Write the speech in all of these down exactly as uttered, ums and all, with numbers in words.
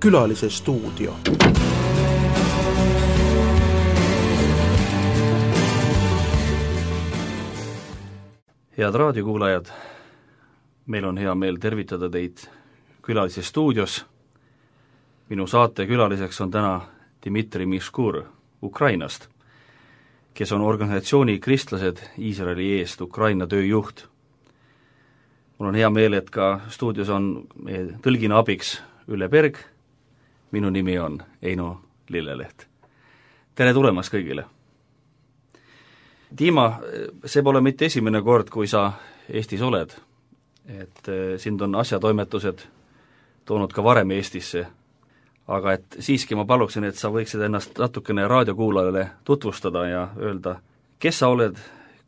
Külalise stuudio. Head raadiokuulajad, meil on hea meel tervitada teid Külalise stuudios. Minu saate külaliseks on täna Dmitri Miškur Ukrainast, kes on organisatsiooni Kristlased Iisraeli eest Ukraina tööjuht. Mul on hea meel, et ka stuudios on meie tõlgina abiks Ülle Berg. Minu nimi on Eino Lilleleht. Tere tulemast kõigile! Dima, see pole mitte esimene kord, kui sa Eestis oled. Et sind on asjatoimetused toonud ka varem Eestisse. Aga et siiski ma paluksin, et sa võiksid ennast natukene raadiokuulajale tutvustada ja öelda, kes sa oled,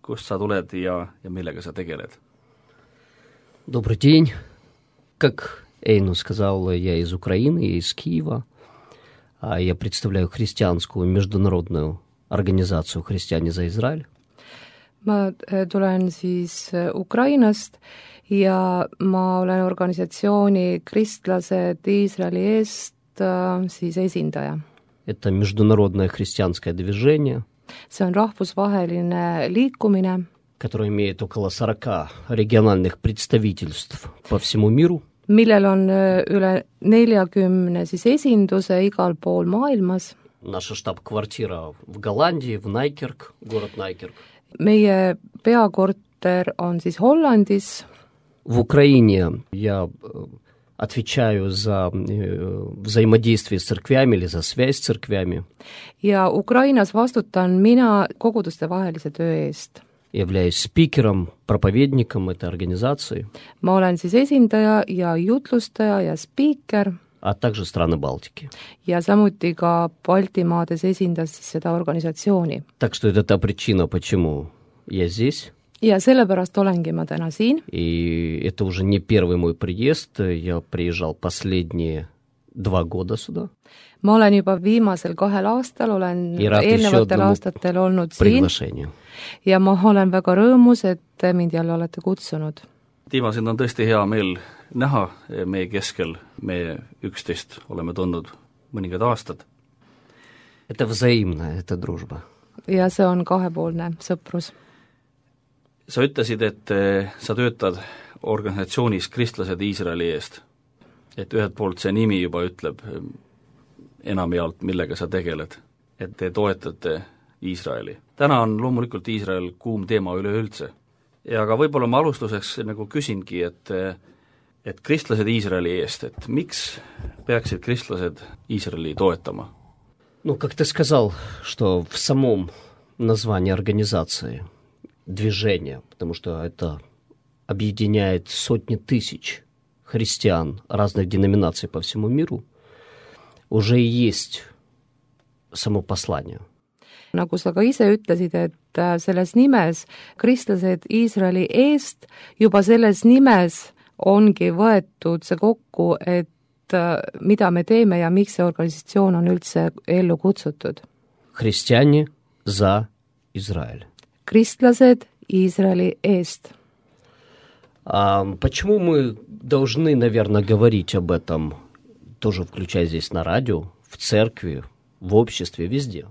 kust sa tuled ja, ja millega sa tegeled. Добрый день. Как Эйну сказал, я из Украины, я из Киева. Я представляю христианскую международную organisatsioon Христиане за Израиль. Ma tulen siis Ukrainast ja ma olen organisatsiooni Kristlased Iisraeli eest siis esindaja. Это международное христианское движение. See on rahvusvaheline liikumine, которое имеет около сорока региональных представительств по всему миру. Millel on üle neljakümne siis esinduse igal pool maailmas. Наша штаб-квартира в Голландии, в Найкерк, город Найкерк. Meie peakorter on siis Hollandis. В Украине я отвечаю за взаимодействие с церквями или за связь с церквями. Ja Ukrainas vastutan mina koguduste vahelise töö eest. Являюсь спикером, проповедником этой организации. Ma olen siis esindaja ja jutlustaja ja spiiker. А также страны Балтики. Ja samuti ka Baltimaades esindas siis seda organisatsiooni. Так что это та причина, почему я здесь. Ja sellepärast olengi ma täna siin. И это уже не первый мой приезд. Я приезжал последние два года сюда. Ma olen juba viimasel kahel aastal, olen eelnevatel aastatel olnud siin. Ja ma olen väga rõõmus, et mind jälle olete kutsunud. Dima, sind on tõesti hea meel näha meie keskel. Me üksteist oleme tundnud mõningad aastad. Это взаимно, это дружба. Ja see on kahepoolne sõprus. Sa ütlesid, et sa töötad organisatsioonis Kristlased Iisraeli eest. Et ühelt poolt see nimi juba ütleb enamjaolt, millega sa tegeled. Et te toetate Iisraeli. Täna on loomulikult Iisrael kuum teema üleüldse. Ja aga võib-olla ma alustuseks nagu küsingi, et, et kristlased Iisraeli eest, et miks peaksid kristlased Iisraeli toetama? Ну, как ты сказал, что в самом названии организации движения, потому что это объединяет сотни тысяч христиан разных деноминаций по всему миру, уже и есть само послание. Nagu sa ka ise ütlesid, et selles nimes kristlased Iisraeli eest, juba selles nimes ongi võetud see kokku, et mida me teeme ja miks see organisatsioon on üldse ellu kutsutud. Христиане за Израиль. Kristlased Iisraeli eest. А почему мы должны, наверное, говорить об этом, тоже включая здесь на радио, в церкви, в обществе, везде?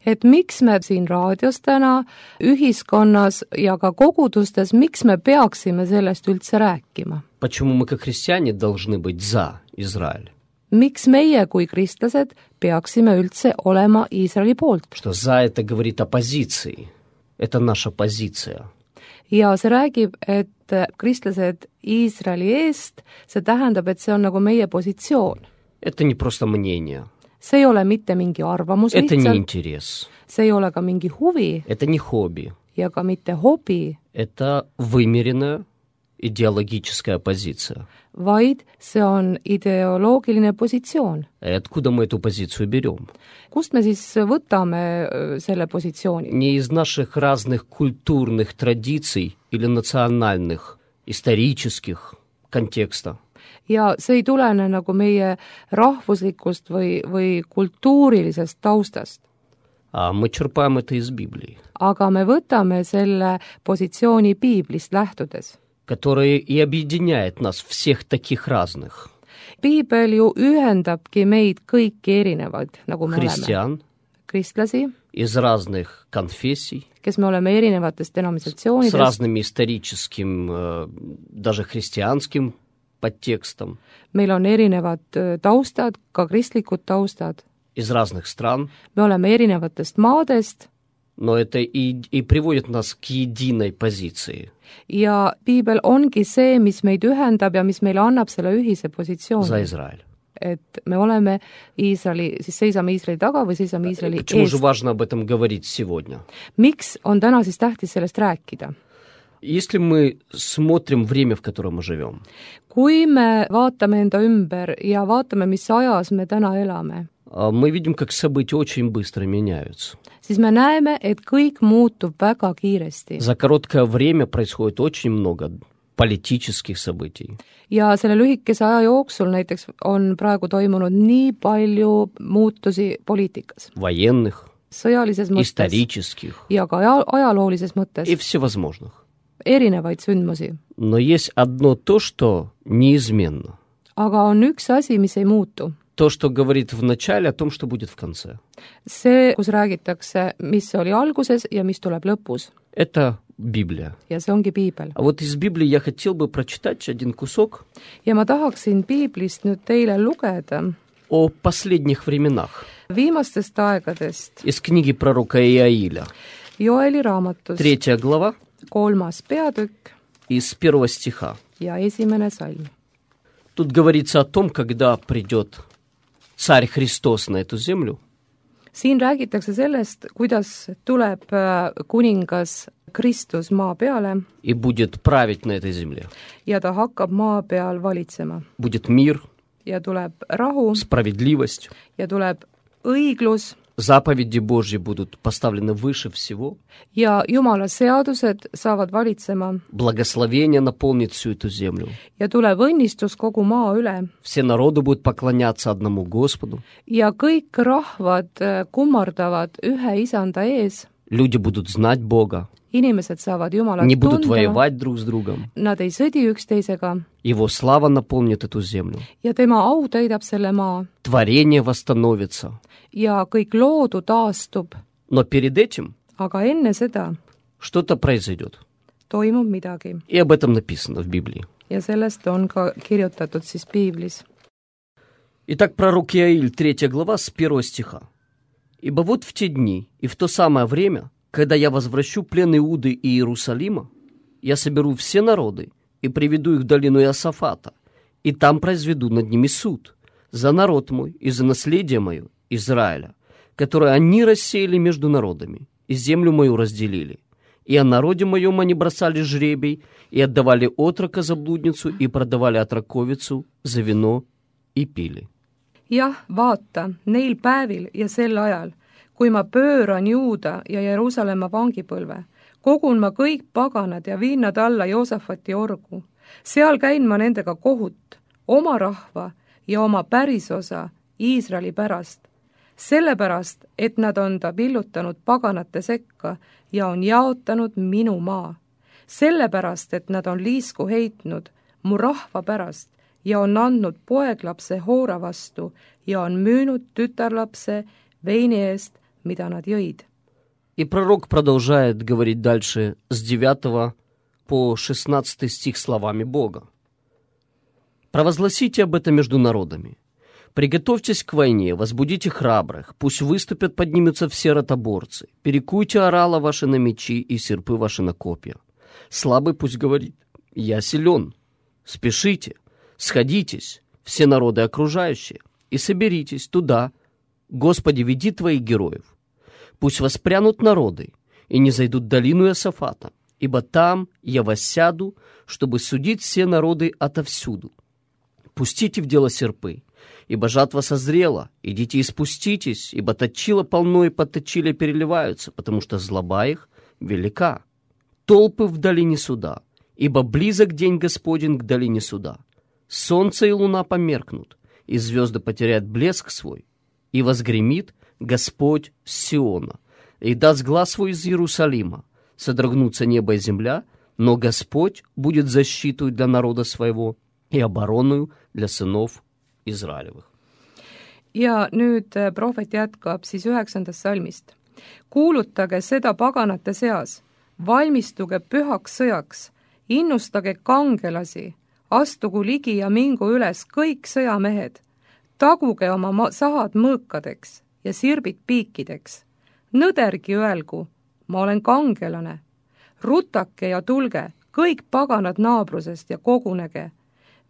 Et miks me siin raadios täna, ühiskonnas ja ka kogudustes, miks me peaksime sellest üldse rääkima? Почему мы, как христиане, должны быть за Израиль? Miks meie kui kristlased peaksime üldse olema Iisraeli poolt? Что за это говорит о позиции. Это наша позиция. Ja see räägib, et kristlased Iisraeli eest, see tähendab, et see on nagu meie positsioon. Это не просто мнение. See ei ole mitte mingi arvamus Это lihtsalt. не интерес. See ei ole ka mingi huvi. Это не хобби. Ja ka mitte hobi. Это вымеренная идеологическая позиция. Vaid see on ideoloogiline positsioon. И откуда мы эту позицию берем? Kust me siis võtame selle positsiooni? Не из наших разных культурных традиций или национальных, исторических контекстов. Ja see ei tulene nagu meie rahvuslikust või, või kultuurilisest taustast. А мы черпаем это из Библии. Aga me võtame selle positsiooni Piiblist lähtudes. которое и объединяет нас всех таких разных. piibel ju ühendabki meid kõiki erinevaid, nagu me Христиан oleme. Kristlasi, из разных конфессий, kes me oleme erinevatest с denominatsioonidest, разным историческим, э, даже христианским подтекстом, meil on erinevad öö, taustad, ka kristlikud taustad, из разных стран, me oleme erinevatest maadest но это и, и приводит нас к единой позиции ja piibel ongi see, mis meid ühendab ja mis meile annab selle ühise за positsiooni, Израиль. et me oleme Iisraeli, siis seisame Iisraeli taga või seisame Iisraeli Почему же eest. важно об этом говорить сегодня? Miks on täna siis tähtis sellest rääkida? Если мы смотрим время, в котором мы живем, Kui me vaatame enda ümber ja vaatame, mis ajas me täna elame, а, мы видим, как события очень быстро меняются. siis me näeme, et kõik muutub väga kiiresti. За короткое время происходит очень много политических событий, Ja selle lühikese aja jooksul näiteks on praegu toimunud nii palju muutusi poliitikas, военных, sõjalises mõttes исторических ja ka aja- ajaloolises mõttes, и всевозможных. erinevaid sündmusi. Но есть одно то, что неизменно. Aga on üks asi, mis ei muutu. То, что говорит в начале о том, что будет в конце. See, kus räägitakse, mis oli alguses ja mis tuleb lõpus. Это Библия. Ja see ongi piibel. А вот из Библии я хотел бы прочитать один кусок Ja ma tahaksin piiblist nüüd teile lugeda о последних временах viimastest aegadest из книги пророка Иаиля. Joeli raamatus Третья глава kolmas peatükk из первого стиха. ja esimene salm. Тут говорится о том, когда придет Царь Христос на эту землю, Siin räägitakse sellest, kuidas tuleb äh, kuningas Kristus maa peale и будет править на этой земле. ja ta hakkab maa peal valitsema. Будет мир, Ja tuleb rahu справедливость, ja tuleb õiglus заповеди Божьи будут поставлены выше всего, ja Jumala seadused saavad valitsema благословение наполнит всю эту землю. ja tuleb õnnistus kogu maa üle Все народы будут поклоняться одному Господу, ja kõik rahvad äh, kummardavad ühe isanda ees, люди будут знать Бога, inimesed saavad Jumalat не будут tunda, воевать друг с другом. nad ei sõdi üksteisega Его слава наполнит эту землю. ja tema au täidab selle maa Творение восстановится. ja kõik loodu taastub, Но перед этим aga enne seda что-то произойдет. toimub midagi И об этом написано в Библии. ja sellest on ka kirjutatud siis piiblis. Итак, пророк Иаиль, третья глава, с первого стиха. «Ибо вот в те дни и в то самое время, когда я возвращу плен Иуды и Иерусалима, я соберу все народы и приведу их в долину Иосафата, и там произведу над ними суд за народ мой и за наследие мое, Израиля, которое они рассеяли между народами, и землю мою разделили. И о народе моем они бросали жребий, и отдавали отрока за блудницу, и продавали отроковицу за вино, и pili. Jah, vaata, neil päevil ja sel ajal, kui ma pööran Juuda ja Jeruusalemma vangipõlve, kogun ma kõik paganad ja viin nad alla Joosafati orgu. Seal käin ma nendega kohut, oma rahva ja oma pärisosa Iisraeli pärast, sellepärast, et nad on ta pillutanud paganate sekka ja on jaotanud minu maa. Sellepärast, et nad on liisku heitnud mu rahva pärast ja on andnud poeglapse hoora vastu ja on müünud tütarlapse veini eest, mida nad jõid. И пророк продолжает говорить дальше с девятого по шестнадцатый стих словами Бога. «Провозгласите об этом между народами. Приготовьтесь к войне, возбудите храбрых, пусть выступят, поднимутся все ротоборцы. Перекуйте орала ваши на мечи и серпы ваши на копья. Слабый пусть говорит: я силен. Спешите, сходитесь, все народы окружающие, и соберитесь туда. Господи, веди твоих героев. Пусть воспрянут народы и не зайдут в долину Иосафата, ибо там я воссяду, чтобы судить все народы отовсюду. Пустите в дело серпы, ибо жатва созрела, идите и спуститесь, ибо точило полно и под точиле переливаются, потому что злоба их велика. Толпы в долине суда, ибо близок день Господень к долине суда. Солнце и луна померкнут, и звезды потеряют блеск свой, и возгремит Господь с Сиона, и даст глас свой из Иерусалима, содрогнутся небо и земля, но Господь будет защитой для народа своего и обороною для сынов Израилевых. ja nüüd prohvet jätkab siis üheksandast salmist. Kuulutage seda paganate seas, valmistuge pühaks sõjaks, innustage kangelasi, astugu ligi ja mingu üles kõik sõjamehed, taguge oma sahad mõõkadeks ja sirbid piikideks. Nõdergi öelgu, ma olen kangelane. Rutake ja tulge, kõik paganad naabrusest ja kogunege.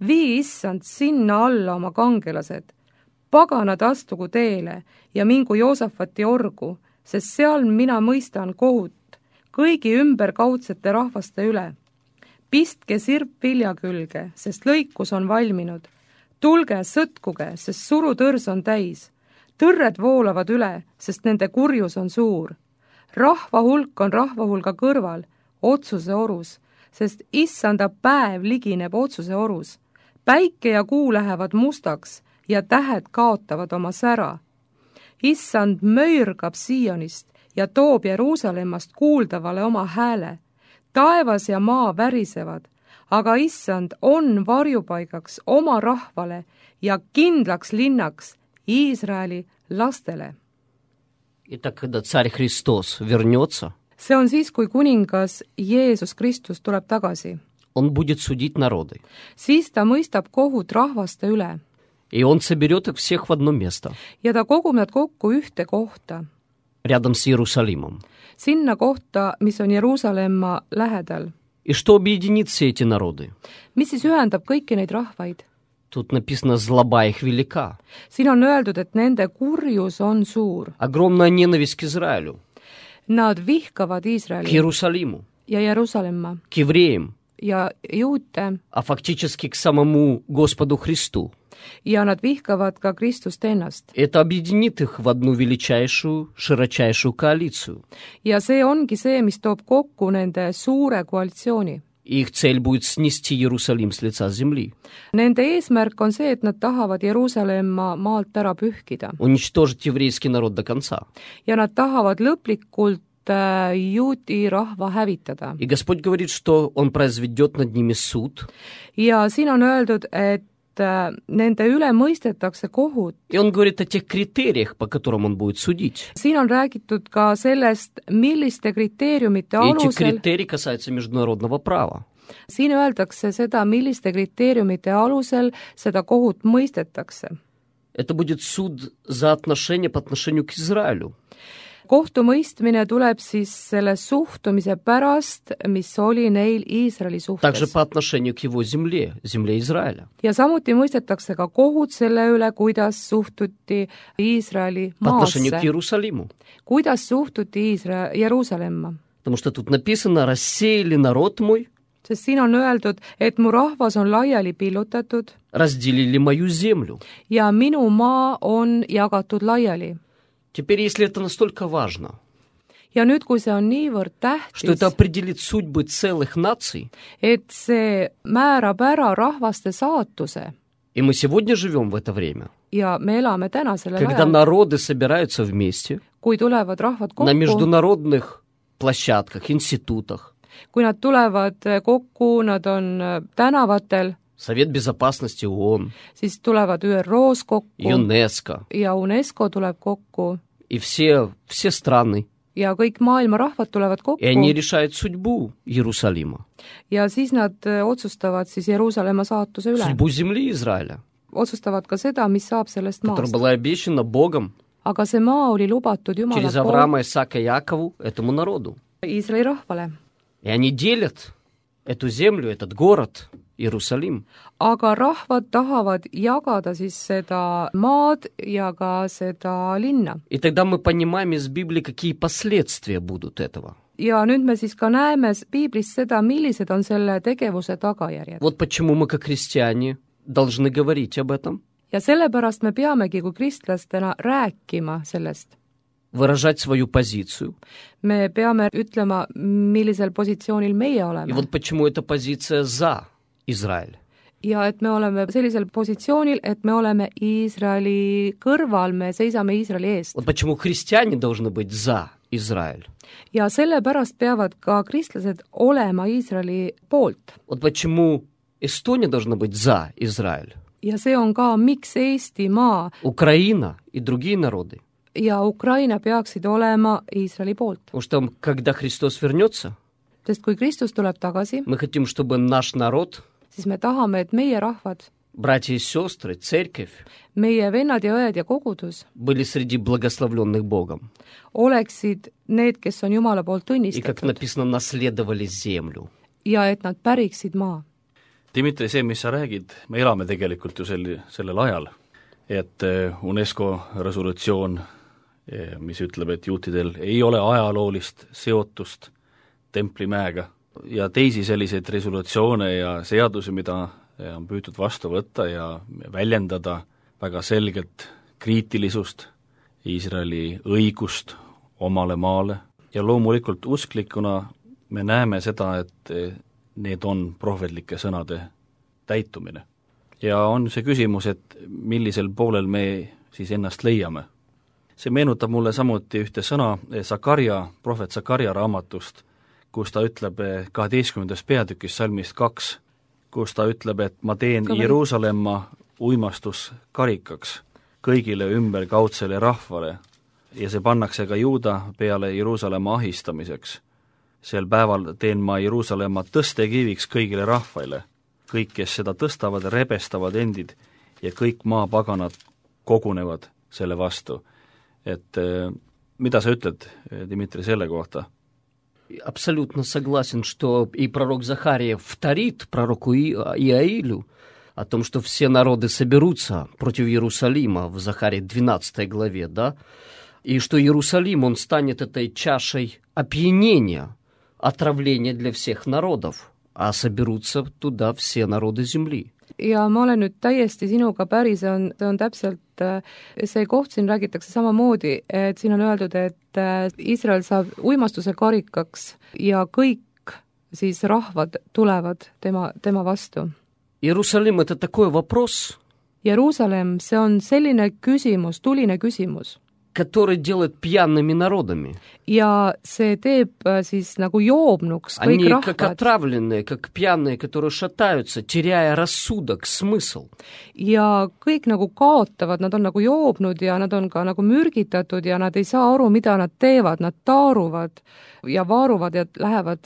Vii issand sinna alla oma kangelased. Paganad astugu teele ja mingu Joosafati orgu, sest seal mina mõistan kohut kõigi ümberkaudsete rahvaste üle. Pistke sirp vilja külge, sest lõikus on valminud. Tulge, sõtkuge, sest surutõrs on täis. Tõrred voolavad üle, sest nende kurjus on suur. Rahva hulk on rahva hulga kõrval, otsuse orus, sest issanda päev ligineb otsuse orus. Päike ja kuu lähevad mustaks ja tähed kaotavad oma sära. Issand möirgab Sionist ja toob Jeruusalemmast kuuldavale oma hääle. Taevas ja maa värisevad, aga issand on varjupaigaks oma rahvale ja kindlaks linnaks Iisraeli lastele. Итак, когда царь Христос вернется, see on siis, kui kuningas Jeesus Kristus tuleb tagasi. он будет судить народы. Siis ta mõistab kohut rahvaste üle. И он соберет их всех в одно место. Ja ta kogub nad kokku ühte kohta. Рядом с Иерусалимом. Sinna kohta, mis on Jeruusalemma lähedal. И что объединит все эти народы? Mis siis ühendab kõiki neid rahvaid? Тут написано «злоба их велика». Siin on öeldud, et nende kurjus on suur. Огромная ненависть к Израилю. Nad vihkavad К Iisraeli Иерусалиму. ja Jeruusalemma К евреям. ja juute А фактически к самому Господу Христу. ja nad vihkavad ka Kristust ennast. Это объединит их в одну величайшую, широчайшую коалицию. Ja see ongi see, mis toob kokku nende suure koalitsiooni. И их цель будет снести Иерусалим с лица земли. Nende eesmärk on see, et nad tahavad Jeruusalemma maalt ära pühkida. Уничтожить еврейский народ до конца. Ja nad tahavad lõplikult äh, juudi rahva hävitada. И Господь говорит, что Он произведет над ними суд. Ja siin on öeldud, et äh, nende üle mõistetakse kohut. И Он говорит о тех критериях, по которым Он будет судить. Siin on räägitud ka sellest, milliste kriteeriumite И эти alusel, критерии касаются международного права. siin öeldakse seda, milliste kriteeriumite alusel seda kohut mõistetakse. Это будет суд за отношения по отношению к Израилю. Kohtumõistmine tuleb siis selle suhtumise pärast, mis oli neil Iisraeli Также suhtes. по отношению к его земле, земле Израиля. Ja samuti mõistetakse ka kohut selle üle, kuidas suhtuti Iisraeli По отношению к maasse, Иерусалиму. kuidas suhtuti Iisra- Jeruusalemma. Потому что тут написано «рассеяли народ мой, Sest siin on öeldud, et mu rahvas on laiali pillutatud разделили мою землю». ja minu maa on jagatud laiali. Теперь, если это настолько важно, Ja nüüd, kui see on niivõrd что это tähtis, определит судьбы целых наций, et see määrab ära rahvaste saatuse и мы сегодня живем в это время, ja me elame täna sellel когда ajal, народы собираются вместе kui tulevad rahvad на kokku, международных площадках, институтах, kui nad tulevad kokku, nad on äh, tänavatel, Совет Безопасности ООН, siis tulevad Ü R O-s kokku ЮНЕСКО ja UNESCO tuleb kokku и все, все страны, ja kõik maailma rahvad tulevad kokku и они решают судьбу Иерусалима, ja siis nad äh, otsustavad siis Jeruusalemma saatuse üle. судьбу земли Израиля, Otsustavad ka seda, mis saab sellest которая maast. была обещана Богом Aga see maa oli lubatud Jumala через poolt Авраама, Исаака и Якову этому народу. Iisraeli rahvale. И они делят эту землю, этот город, Иерусалим. Aga rahvad tahavad jagada siis seda maad ja ka seda linna. И тогда мы понимаем из Библии, какие последствия будут этого. Ja nüüd me siis ka näeme Piiblis seda, millised on selle tegevuse tagajärjed. Вот почему мы, как христиане, должны говорить об этом, Ja sellepärast me peamegi kui kristlastena rääkima sellest. выражать свою позицию. Me peame ütlema, millisel positsioonil meie И oleme. вот почему эта позиция за Израиль. Ja et me oleme sellisel positsioonil, et me oleme Iisraeli kõrval, me seisame Iisraeli eest. Вот почему христиане должны быть за Израиль. ja sellepärast peavad ka kristlased olema Iisraeli poolt. Вот почему Эстония должна быть за Израиль. ja see on ka, miks Eestimaa Украина и другие народы. ja Ukraina peaksid olema Iisraeli poolt. Потому что когда Христос вернется, Sest kui Kristus tuleb tagasi, мы хотим, чтобы наш народ, siis me tahame, et meie rahvad, братья и сестры, церковь, meie vennad ja õed ja kogudus были среди благословленных Богом. oleksid need, kes on Jumala poolt И, как tunnistatud написано, наследовали землю. ja et nad päriksid maa. Dmitri, see, mis sa räägid, me elame tegelikult ju sel, sellel ajal, et UNESCO resolutsioon, mis ütleb, et juutidel ei ole ajaloolist seotust Templimäega ja teisi selliseid resolutsioone ja seadusi, mida on püütud vastu võtta ja väljendada väga selgelt kriitilisust, Iisraeli õigust omale maale ja loomulikult usklikuna me näeme seda, et need on prohvetlike sõnade täitumine. Ja on see küsimus, et millisel poolel me siis ennast leiame. See meenutab mulle samuti ühte sõna Sakarja, prohvet Sakarja raamatust, kus ta ütleb kaheteistkümnendas peatükis salmist kaks, kus ta ütleb, et ma teen Jeruusalemma uimastuskarikaks kõigile ümberkaudsele rahvale ja see pannakse ka Juuda peale Jeruusalemma ahistamiseks. Sel päeval teen ma Jeruusalemma tõstekiviks kõigile rahvaile, kõik, kes seda tõstavad, rebestavad endid ja kõik maapaganad kogunevad selle vastu. Et mida sa ütled, Dmitri, selle kohta? Абсолютно согласен, что и пророк Захария вторит пророку Иаилю о том, что все народы соберутся против Иерусалима в Захарии двенадцатой главе, да, и что Иерусалим, он станет этой чашей опьянения, отравления для всех народов, а соберутся туда все народы земли. ja ma olen nüüd täiesti sinuga päri, see on, see on täpselt, see koht siin räägitakse samamoodi, et siin on öeldud, et Iisrael saab uimastuse karikaks ja kõik siis rahvad tulevad tema, tema vastu. Иерусалим – это такой вопрос, Jeruusalemm, see on selline küsimus, tuline küsimus, который делает пьяными народами. ja see teeb siis nagu joobnuks kõik Они как rahvad. отравленные, как пьяные, которые шатаются, теряя рассудок, смысл. ja kõik nagu kaotavad, nad on nagu joobnud ja nad on ka nagu mürgitatud ja nad ei saa aru, mida nad teevad, nad taaruvad ja vaaruvad ja lähevad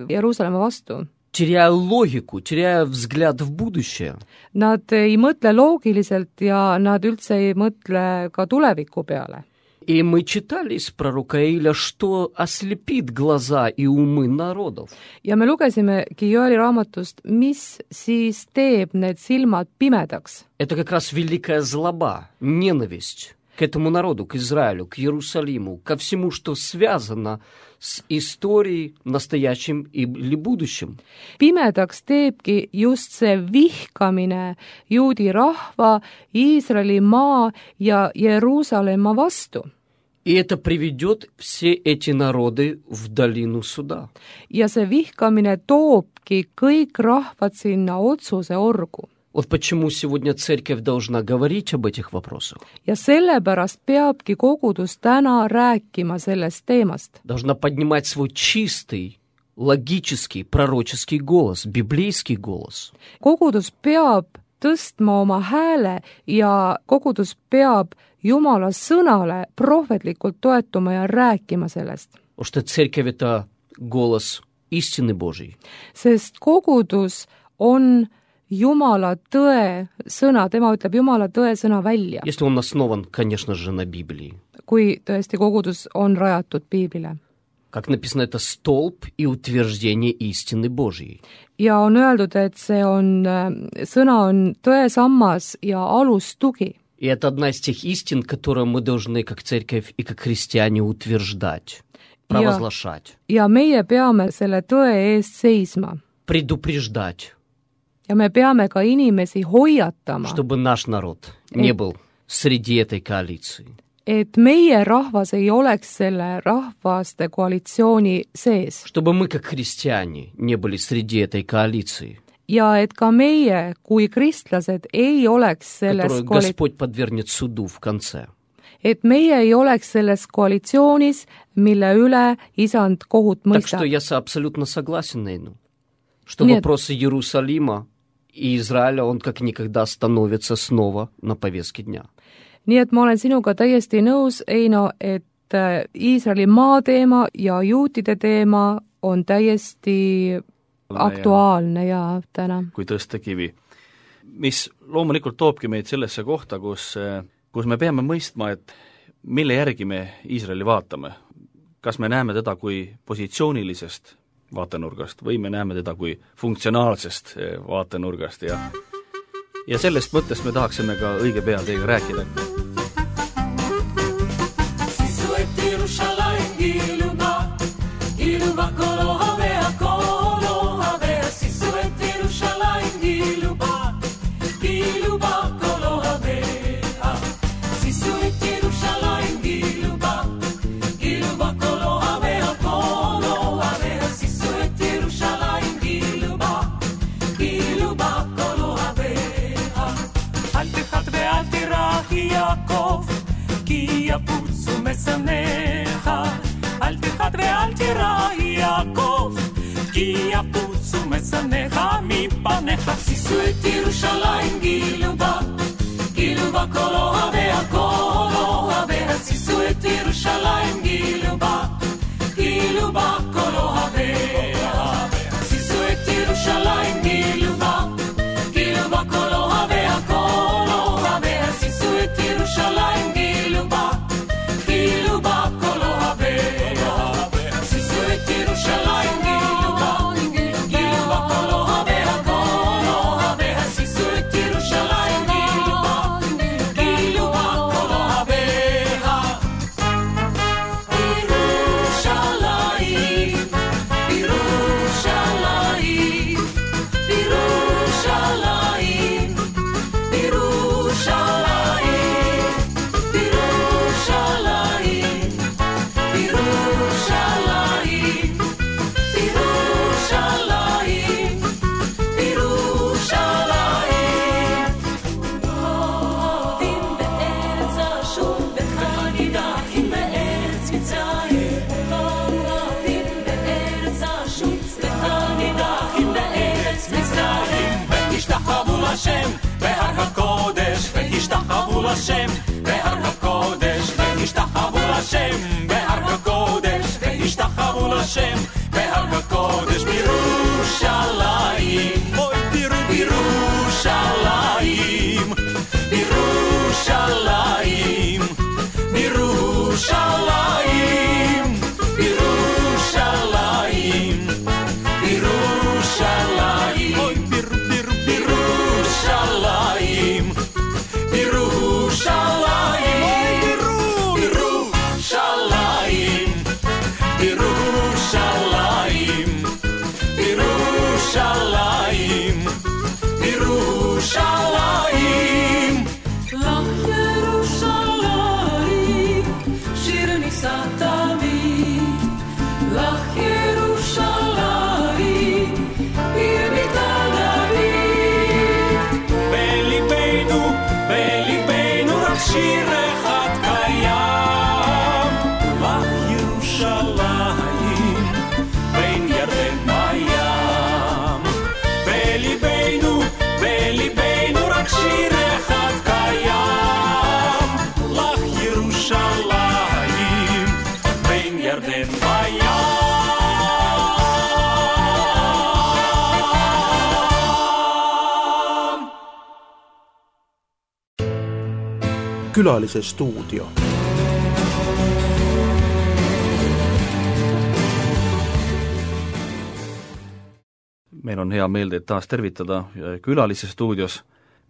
Jeruusalemma vastu. Теряя логику, теряя взгляд в будущее. Nad ei mõtle loogiliselt ja nad üldse ei mõtle ka tuleviku peale. И мы читали из пророка Иаиля, что ослепит глаза и умы народов. ja me lugesimegi Joeli raamatust, mis siis teeb need silmad pimedaks. Это как раз великая злоба, ненависть к этому народу, к Израилю, к Иерусалиму, ко всему, что связано с историей, настоящим или будущим. Pimedaks teebki just see vihkamine juudi rahva, Iisraeli maa ja Jeruusalemma vastu. И это приведет все эти народы в долину суда. ja see vihkamine toobki kõik rahvad sinna otsuse orgu. Вот почему сегодня церковь должна говорить об этих вопросах. ja sellepärast peabki kogudus täna rääkima sellest teemast. Должна поднимать свой чистый, логический, пророческий голос, библейский голос. kogudus peab tõstma oma hääle ja kogudus peab Jumala sõnale prohvetlikult toetuma ja rääkima sellest. Потому что церковь – это голос истины Божьей. Sest kogudus on Jumala tõe sõna, tema ütleb Jumala tõe sõna välja. Если он основан, конечно же, на Библии. Kui tõesti kogudus on rajatud piiblile. Как написано, это столб и утверждение истины Божьей. Ja on öeldud, et see on, sõna on tõesammas ja alustugi. И это одна из тех истин, которые мы должны, как церковь и как христиане, утверждать, провозглашать. Ja, ja meie peame selle tõe eest seisma. Предупреждать. Ja me peame ka inimesi hoiatama. Чтобы наш народ не был среди этой коалиции. Et meie rahvas ei oleks selle rahvaste koalitsiooni sees. Чтобы мы, как христиане, не были среди этой коалиции. Ja et ka meie, kui kristlased, ei oleks selles которую koali- Господь подвергнет суду в конце. et meie ei oleks selles koalitsioonis, mille üle isand kohut mõistab. Так что я абсолютно согласен, Нейну, что Нет. вопрос Иерусалима и Израиля, он как никогда становится снова на повестке дня. Nii et ma olen sinuga täiesti nõus, Eino, et Iisraeli maa teema ja juutide teema on täiesti aktuaalne ja täna. kui tõsta kivi. Mis loomulikult toobki meid sellesse kohta, kus, kus me peame mõistma, et mille järgi me Iisraeli vaatame. Kas me näeme teda kui positsioonilisest vaatenurgast või me näeme teda kui funktsionaalsest vaatenurgast ja, ja sellest mõttest me tahaksime ka õige pea teiega rääkida. אל תחת ואל תירא יעקב, כי יפוצו משנאיך מפניך. שישו את ירושלים גילו בה, גילו בה כל אוהביה, כל אוהביה. שישו את ירושלים גילו בה, גילו בה כל אוהביה. שישו את ירושלים גילו בה, גילו בה כל אוהביה, כל אוהביה. שישו את ירושלים גילו בה, גילו בה כל אוהביה. שישו את ירושלים גילו בה, גילו בה כל אוהביה, כל אוהביה. שישו את ירושלים גילו בה, גילו בה כל אוהביה. בירושלים, בירושלים, בירושלים, בירושלים, בירושלים, בירושלים, בירושלים, בירושלים. עובדים בארץ אשור וחנידחים בארץ מצרים. עובדים בארץ אשור וחנידחים בארץ מצרים. ותשתחוו לשם בהר הקודש, ותשתחוו לשם בהר הקודש, ותשתחוו לשם בהר הקודש, ותשתחוו לשם בהר הקודש. בירושלים, אוי בירושלים, בירושלים, בירושלים, בירושלים, בירושלים, אוי בירושלים, בירושלים, בירושלים, בירושלים, בירושלים, בירושלים. לך ירושלים, שיר נישא תמיד. לך ירושלים, עיר ביתה דוד. בליבנו, בליבנו רק שיר אחד קיים. לך ירושלים, בין ירדן בים. בליבנו, בליבנו רק שיר אחד קיים. לך ירושלים, בין ירדן בים. Külalise stuudio. Meil on hea meel teid taas tervitada Külalise stuudios.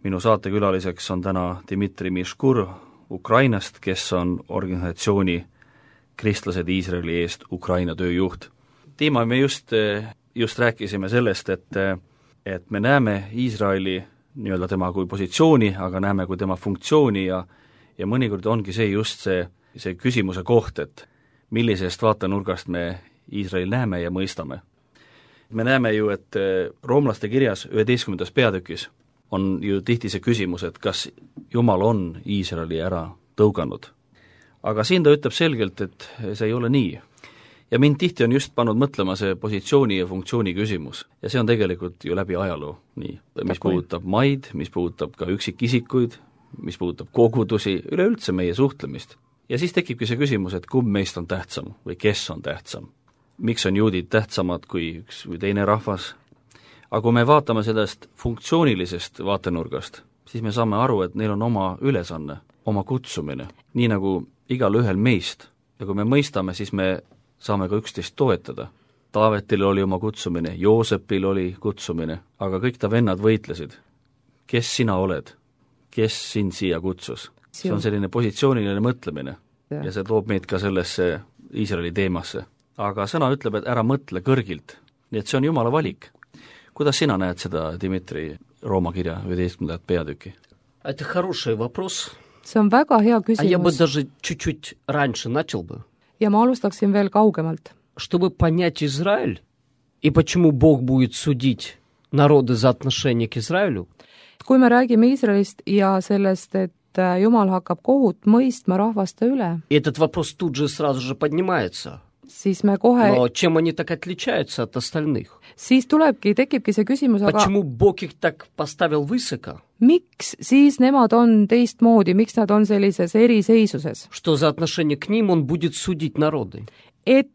Minu saatekülaliseks on täna Dmitri Miškur Ukrainast, kes on organisatsiooni Kristlased Iisraeli eest Ukraina tööjuht. Tiima, me just, just rääkisime sellest, et, et me näeme Iisraeli nii-öelda tema kui positsiooni, aga näeme kui tema funktsiooni ja, ja mõnikord ongi see just see, see küsimuse koht, et millisest vaatenurgast me Iisraeli näeme ja mõistame. Me näeme ju, et roomlaste kirjas üheteistkümnendas peatükis on ju tihti see küsimus, et kas Jumal on Iisraeli ära tõuganud. aga siin ta ütleb selgelt, et see ei ole nii. Ja mind tihti on just pannud mõtlema see positsiooni ja funktsiooni küsimus. Ja see on tegelikult ju läbi ajaloo nii, mis puudutab maid, mis puudutab ka üksikisikuid, mis puudutab kogudusi, üleüldse meie suhtlemist. Ja siis tekibki see küsimus, et kumb meist on tähtsam või kes on tähtsam. Miks on juudid tähtsamad kui üks või teine rahvas? Aga kui me vaatame sellest funktsioonilisest vaatenurgast, siis me saame aru, et neil on oma ülesanne, oma kutsumine, nii nagu igal ühel meist. Ja kui me mõistame, siis me saame ka üksteist toetada. Taavetil oli oma kutsumine, Joosepil oli kutsumine, aga kõik ta vennad võitlesid. Kes sina oled? Kes sind siia kutsus? See on selline positsiooniline mõtlemine ja, ja see toob meid ka sellesse Iisraeli teemasse. Aga sõna ütleb, et ära mõtle kõrgilt, nii et see on Jumala valik. Kuidas sina näed seda, Dimitri, Rooma kirja üheteistkümnendat peatüki? Это хороший вопрос. See on väga hea küsimus. А я бы даже чуть-чуть раньше начал бы. Ja ma alustaksin veel kaugemalt. Чтобы понять Израиль и почему Бог будет судить народы за отношение к Израилю. Kui me räägime Iisraelist ja sellest, et Jumal hakkab kohut mõistma rahvaste üle. И этот вопрос тут же сразу же поднимается. Siis me kohe... Но чем они так отличаются от остальных? Siis tulebki, tekibki see küsimus, aga... Почему Бог их так поставил высоко? Miks siis nemad on teistmoodi, miks nad on sellises eriseisuses? Что за отношение к ним он будет судить народы? Et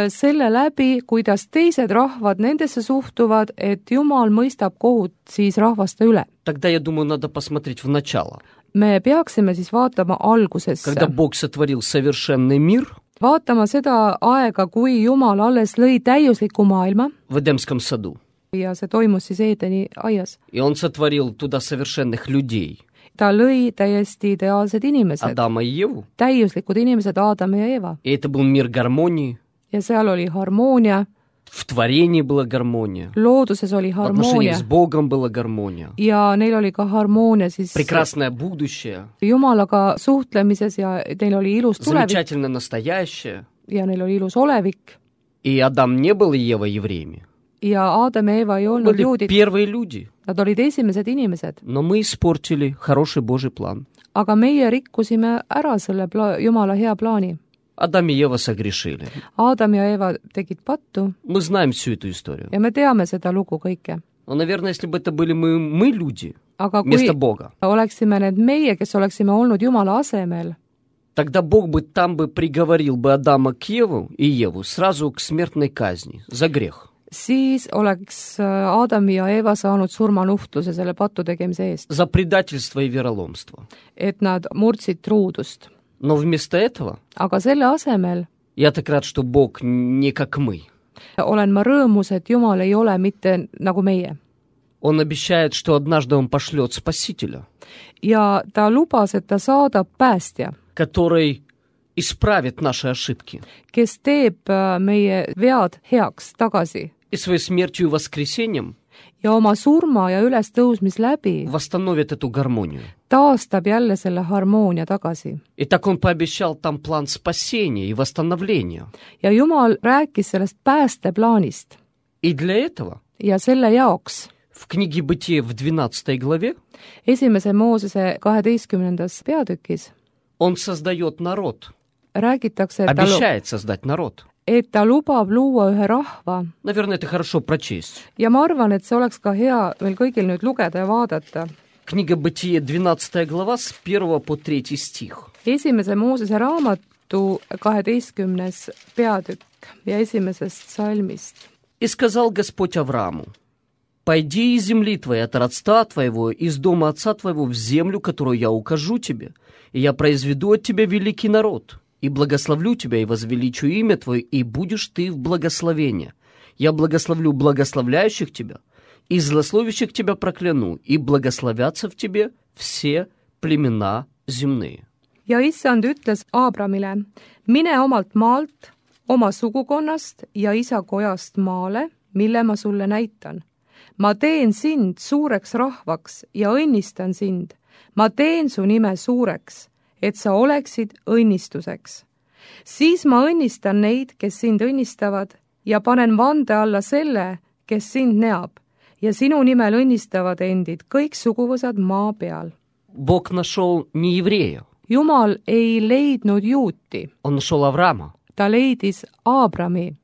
selle läbi, kuidas teised rahvad nendesse suhtuvad, et Jumal mõistab kohut siis rahvaste üle. Тогда, я думаю, надо посмотреть в начало. Me peaksime siis vaatama algusesse. Когда Бог сотворил совершенный мир, vaatama seda aega, kui Jumal alles lõi täiusliku maailma. В Эдемском саду. Ja see toimus siis Eedeni aias. И он сотворил туда совершенных людей. Ta lõi täiesti ideaalsed inimesed. Адама и Еву. Täiuslikud inimesed, Adam ja Eva. И это был мир гармонии. Ja seal oli harmoonia. В творении была гармония. Looduses oli harmoonia. В отношении с Богом была гармония. Ja neil oli ka harmoonia siis прекрасное будущее. Jumalaga suhtlemises ja neil oli ilus tulevik. Замечательно настоящее. Ja neil oli ilus olevik. И Адам не был и Ева евреями. Ja Adam ja Eva ei olnud были juudid. Первые люди. Nad olid esimesed inimesed. Но мы испортили хороший Божий план. Aga meie rikkusime ära selle pla- Jumala hea plaani. Адам и Ева согрешили. Adam ja Eva tegid pattu. Мы знаем всю эту историю. Ja me teame seda lugu kõike. Но, наверное, если бы это были мы, мы люди, aga вместо Бога, oleksime need meie, kes oleksime olnud Jumala asemel, тогда Бог бы там бы приговорил бы Адама к Еву и Еву сразу к смертной казни за грех. Siis oleks Adam ja Eva saanud surmanuhtluse selle pattu tegemise eest. За предательство и вероломство. Et nad murdsid truudust. Но вместо этого aga selle asemel я так рад, что Бог не как мы. Olen ma rõõmus, et Jumal ei ole mitte nagu meie. Он обещает, что однажды он пошлет Спасителя. Ja ta lubas, et ta saadab päästja, который исправит наши ошибки. Kes teeb meie vead heaks tagasi. И своей смертью и воскресением ja oma surma ja ülestõusmis läbi восстановит эту гармонию. Taastab jälle selle harmoonia tagasi. И так он пообещал там план спасения и восстановления. Ja Jumal rääkis sellest päästeplaanist. И для этого ja selle jaoks в книге Бытия в двенадцатой главе esimese Moosese kaheteistkümnendas peatükis он создает народ. Räägitakse, et обещает ta, создать народ. Et ta lubab luua ühe rahva. Наверное, это хорошо прочесть. Ja ma arvan, et see oleks ka hea meil kõigil nüüd lugeda ja vaadata. Книга Бытия, двенадцатая глава, с первого по третий стих. Esimese Moosese raamatu kaheteistkümnes peatükk ja esimesest salmist. И сказал Господь Аврааму: «Пойди из земли твоей, от родства твоего, из дома отца твоего в землю, которую я укажу тебе, и я произведу от тебя великий народ». И благословлю тебя, и возвеличу имя твое, и будешь ты в благословении. Я благословлю благословляющих тебя, и злословящих тебя прокляну, и благословятся в тебе все племена земные. Ja issand ütles Aabramile: mine omalt maalt, oma sugukonnast ja isa kojast maale, mille ma sulle näitan. Ma teen sind suureks rahvaks ja õnnistan sind. Ma teen su nime suureks, et sa oleksid õnnistuseks. Siis ma õnnistan neid, kes sind õnnistavad, ja panen vande alla selle, kes sind neab, ja sinu nimel õnnistavad endid kõik suguvõsad maa peal. Бог нашел не еврея, Jumal ei leidnud Juuti, Он нашел Авраама, ta leidis Aabrami,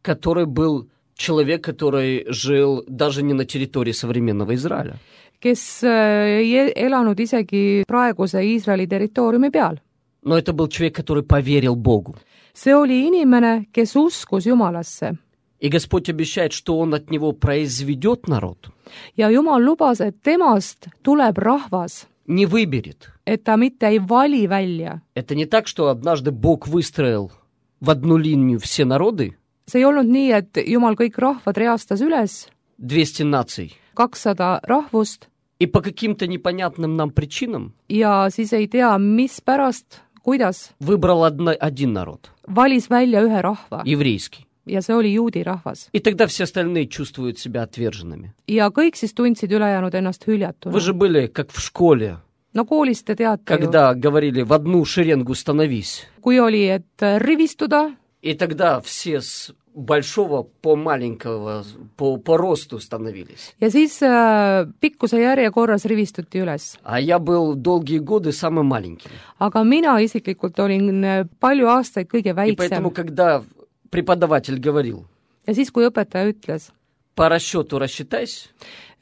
который был человек, который жил даже не на территории современного Израиля. kes ei elanud isegi praeguse Iisraeli territooriumi peal. Но это был человек, который поверил Богу. See oli inimene, kes uskus Jumalasse. И Господь обещает, что Он от него произведет народ, Ja Jumal lubas, et temast tuleb rahvas, не выберет. et ta mitte ei vali välja. Это не так, что однажды Бог выстроил в одну линию все народы, See ei olnud nii, et Jumal kõik rahvad reastas üles, двести наций, kakssada rahvust, и по каким-то непонятным нам причинам ja siis ei tea, mispärast, kuidas, выбрал одно, один народ, valis välja ühe rahva еврейский. ja see oli juudi rahvas. И тогда все остальные чувствуют себя отверженными. Ja kõik siis tundsid ülejäänud ennast hüljatuna. Вы же были как в школе, No koolis te teate ju, когда говорили в одну шеренгу становись. kui oli, et rivistuda, И тогда все с большого по маленького, по, по росту становились. ja siis äh, pikkuse järjekorras rivistuti üles. А я был долгие годы самым маленьким. Aga mina isiklikult olin äh, palju aastaid kõige И поэтому, väiksem. когда преподаватель говорил, Ja siis, kui õpetaja ütles, по расчету рассчитайся,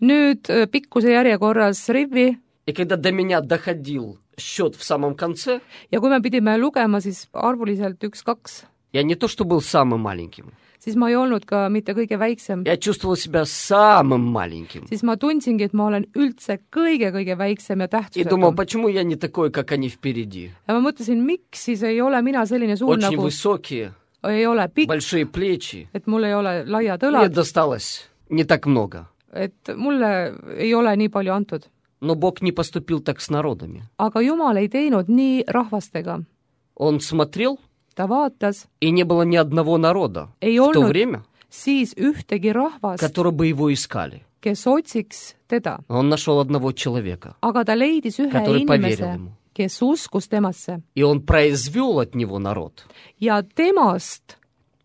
nüüd äh, pikkuse järjekorras rivi, и когда до меня доходил счет в самом конце, ja kui me pidime lugema siis arvuliselt üks-kaks, я не то что был самым маленьким, siis ma ei olnud ka mitte kõige väiksem. я чувствовал себя самым маленьким. Siis ma tundsingi, et ma olen üldse kõige-kõige väiksem ja И думал, tähtsusetum. почему я не такой, как они впереди? Ja ma mõtlesin, miks siis ei ole mina selline suur Очень nagu, высокие, ei ole pikk, большие плечи. et mul ei ole laiad Мне õlad, досталось не так много. et mulle ei ole nii palju antud. Но Бог не поступил так с народами. Aga Jumal ei teinud nii rahvastega. Он смотрел, Ta vaatas, и не было ни одного народа ei в то olnud время, siis ühtegi rahvast, которые бы его искали. kes otsiks teda. Он нашел одного человека, Aga ta leidis ühe Который поверил inimese, ему. kes uskus temasse. и он произвел от него народ Ja temast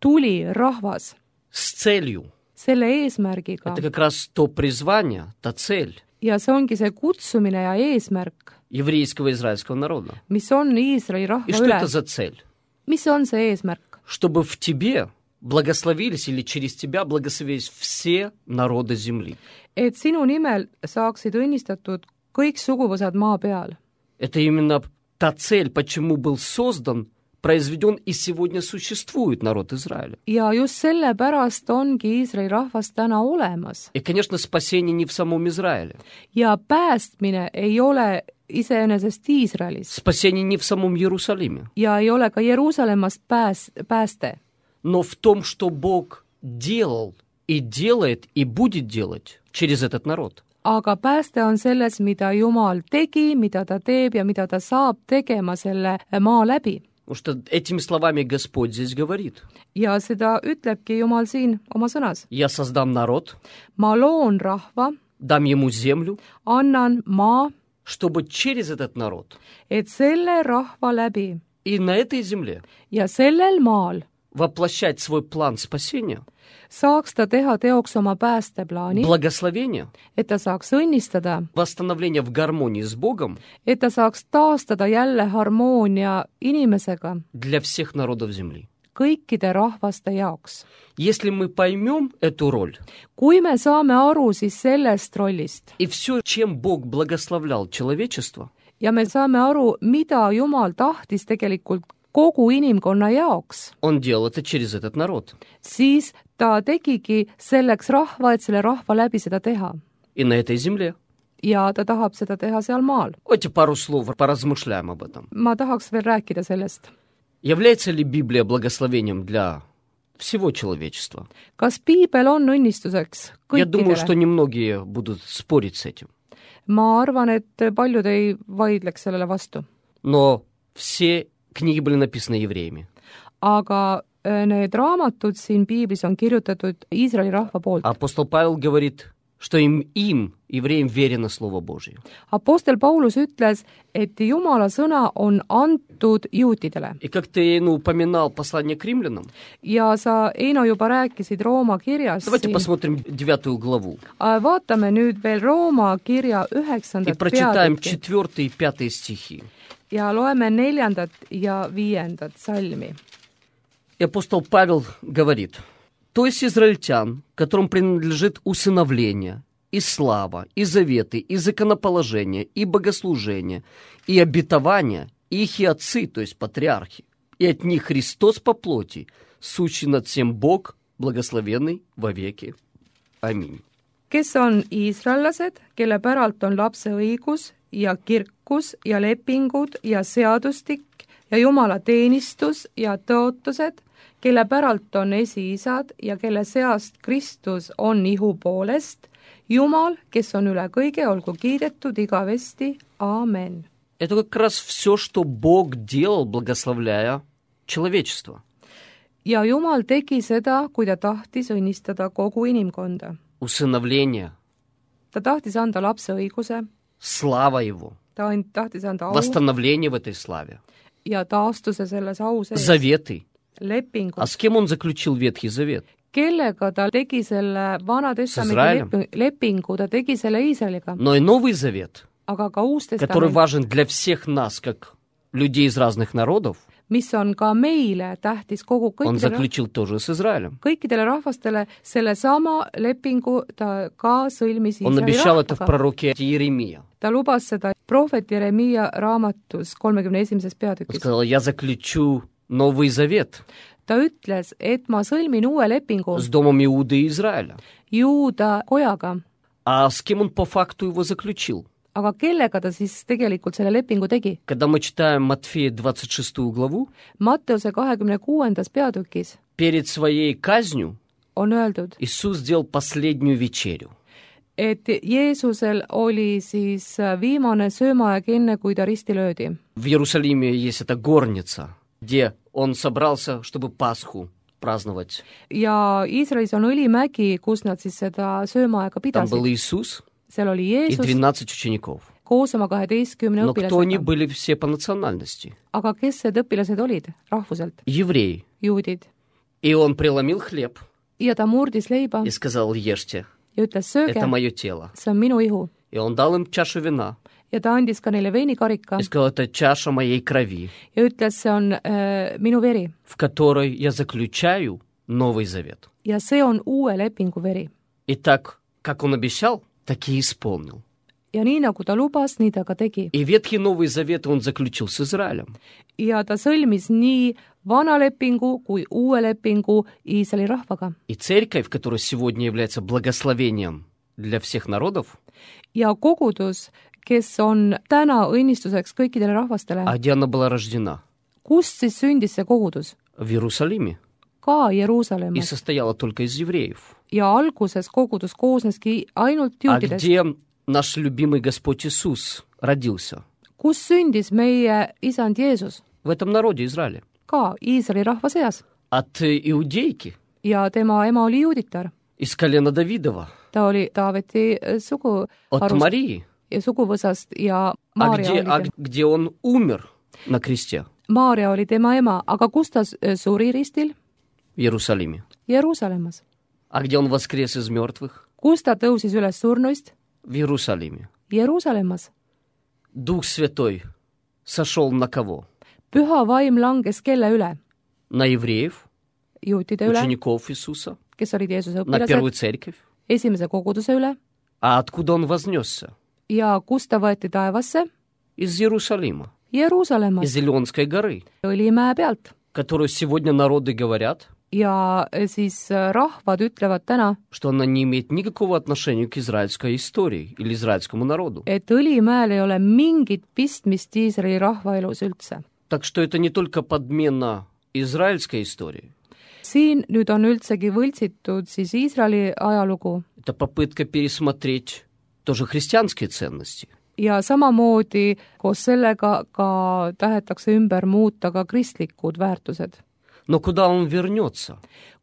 tuli rahvas с целью. selle eesmärgiga. Это как раз то призвание, та цель Ja see ongi see kutsumine ja eesmärk, еврейского и израильского народа. mis on Iisraeli И rahva что üle. это за цель? Mis on see eesmärk? Чтобы в тебе благословились или через тебя благословились все народы земли. Et sinu nimel saaksid õnnistatud kõik suguvõsad maa peal. Это именно та цель, почему был создан, произведен и сегодня существует народ Израиля. Ja just sellepärast ongi Iisraeli rahvas täna olemas. И, конечно, спасение не в самом Израиле. Ja päästmine ei ole iseenesest Iisraelis. Спасение не в самом Иерусалиме. Ja ei ole ka Jeruusalemmast pääs, pääste. Но в том, что Бог делал и делает и будет делать через этот народ. Aga pääste on selles, mida Jumal tegi, mida ta teeb ja mida ta saab tegema selle maa läbi. Потому что этими словами Господь здесь говорит. Ja seda ütlebki Jumal siin oma sõnas. Я создам народ, Ma loon rahva, дам ему землю, annan maa, чтобы через этот народ et selle rahva läbi и на этой земле ja sellel maal воплощать свой план спасения, saaks ta teha teoks oma päästeplaani, благословения, et ta saaks õnnistada, восстановления в гармонии с Богом et ta saaks taastada jälle harmoonia inimesega для всех народов земли. kõikide rahvaste jaoks. Если мы поймем эту роль Kui me saame aru siis sellest rollist и все, чем Бог благословлял человечество, ja me saame aru, mida Jumal tahtis tegelikult kogu inimkonna jaoks, Он делал это через этот народ. siis ta tegigi selleks rahva, et selle rahva läbi seda teha. И на этой земле. Ja ta tahab seda teha seal maal. Давайте пару слов поразмышляем об этом. Ma tahaks veel rääkida sellest. Является ли Библия благословением для всего человечества? Kas piibel on õnnistuseks Я думаю, что kõikidele? немногие будут спорить с этим. Ma arvan, et paljud ei vaidleks sellele vastu. Но все книги были написаны евреями. Aga need raamatud siin piiblis on kirjutatud Iisraeli rahva poolt. Апостол Павел говорит, что им, им, евреям, верено Слово Божие. Apostel Paulus ütles, et Jumala sõna on antud juutidele. И как ты, ну, упоминал послание к римлянам, Ja sa, Eino, juba rääkisid Rooma kirjast. давайте посмотрим девятую главу Vaatame nüüd veel Rooma kirja и üheksandat прочитаем peatükki четвертый и пятый стихи. ja loeme neljandat ja viiendat salmi. И апостол Павел говорит: «То есть израильтян, которым принадлежит усыновление, и слава, и заветы, и законоположение, и богослужение, и обетование, и их и отцы, то есть патриархи, и от них Христос по плоти, сущий над всем Бог, благословенный вовеки. Аминь». Kes on iisraellased, kelle päralt on lapse õigus ja kirkus ja lepingud ja seadustik ja Jumala teenistus ja tõotused, kelle päralt on esiisad ja kelle seast Kristus on ihu poolest, Jumal, kes on üle kõige, olgu kiidetud igavesti. Aamen. Это как раз все, что Бог делал, благословляя человечество. Ja Jumal tegi seda, kui ta tahtis õnnistada kogu inimkonda. Усыновление, Ta tahtis anda lapse õiguse, слава Его, ta and- tahtis anda au восстановление в этой славе, ja taastuse selles au sees, заветы. lepingu. А с кем он заключил Ветхий Завет? Kellega ta tegi selle Vana Testamendi Izraelim. lepi- lepingu, ta tegi selle Iisraeliga, Но и Новый Завет, aga ka Uus который Testament, важен для всех нас, как людей из разных народов, mis on ka meile tähtis kogu он kõikidele, заключил тоже с Израилем. kõikidele rahvastele, sellesama lepingu ta ka sõlmis Он Iisraeli обещал это в rahvaga. пророке Иеремия. Ta lubas seda prohvet Jeremiia raamatus kolmekümne esimeses Он peatükis. сказал: «Я заключу Новый Завет Ta ütles, et ma sõlmin uue lepingu с домом Иуды и Израиля». Juuda kojaga, А с кем он по факту его заключил? aga kellega ta siis tegelikult selle lepingu tegi? Когда мы читаем Матфея двадцать шестую главу, Matteuse kahekümne kuuendas peatükis перед своей казнью on öeldud, Иисус сделал последнюю вечерю. et Jeesusel oli siis viimane söömaaeg enne, kui ta risti löödi. В Иерусалиме есть эта горница, где он собрался, чтобы Пасху праздновать. Ja Iisraelis on õlimägi, kus nad siis seda söömaaega Там был pidasid. Иисус Seal oli и Jeesus двенадцать учеников. koos oma kaheteistkümne Но кто они õpilasega. были все по национальности? Aga kes need õpilased olid? Rahvuselt, Евреи. juudid. И он преломил хлеб Ja ta murdis leiba и сказал: «Ешьте, ja ütles, sööge, это мое тело». see on minu ihu. И он дал им чашу вина Ja ta andis ka neile veinikarika и сказал: «Это чаша моей крови, ja ütles, see on äh, minu veri. в которой я заключаю Новый Завет». Ja see on uue lepingu veri. И так, как он обещал, так и исполнил. Ja nii, nagu ta lubas, nii ta ka tegi. И Ветхий Новый Завет он заключил с Израилем. Ja ta sõlmis nii vana lepingu kui uue lepingu Iisraeli rahvaga. И церковь, которая сегодня является благословением для всех народов, Ja kogudus, kes on täna õnnistuseks kõikidele rahvastele. а где она была rождена? Kust siis sündis see kogudus? В Иерусалиме. Ka И Jeruusalemmas. состояла только из евреев. Ja alguses kogudus koosneski ainult А juutidest. где наш любимый Господь Иисус родился? Kus sündis meie isand Jeesus? В этом народе Израиля. Ka Iisraeli rahva seas. От иудейки, Ja tema ema oli juuditar. из колена Давидова, Ta oli Taaveti sugu от Марии. ja suguvõsast ja А Maarja где, oli, а tem- где он умер на кресте? Maarja oli tema ema, aga kus ta s- suri ristil? В Иерусалиме. Jeruusalemmas. А где он воскрес из мертвых? Kus ta tõusis üles surnuist? В Иерусалиме. Jeruusalemmas. Дух Святой сошел на кого? Püha vaim langes kelle üle? На евреев, Juutide üle, учеников Иисуса, kes olid Jeesuse на первую õpilased, церковь. esimese koguduse üle А откуда он вознесся? ja kus ta võeti taevasse? Из Иерусалима, Jeruusalemmas, из Илионской горы, Õlimäe pealt. которую сегодня народы говорят, Ja siis rahvad ütlevad täna, что она не имеет никакого отношения к израильской истории или израильскому народу. et Õlimäel ei ole mingit pistmist Iisraeli rahvaelus üldse. Так что это не только подмена израильской истории, Siin nüüd on üldsegi võltsitud siis Iisraeli ajalugu это попытка пересмотреть тоже христианские ценности. ja samamoodi koos sellega ka tahetakse ümber muuta ka kristlikud väärtused. Но куда он вернется?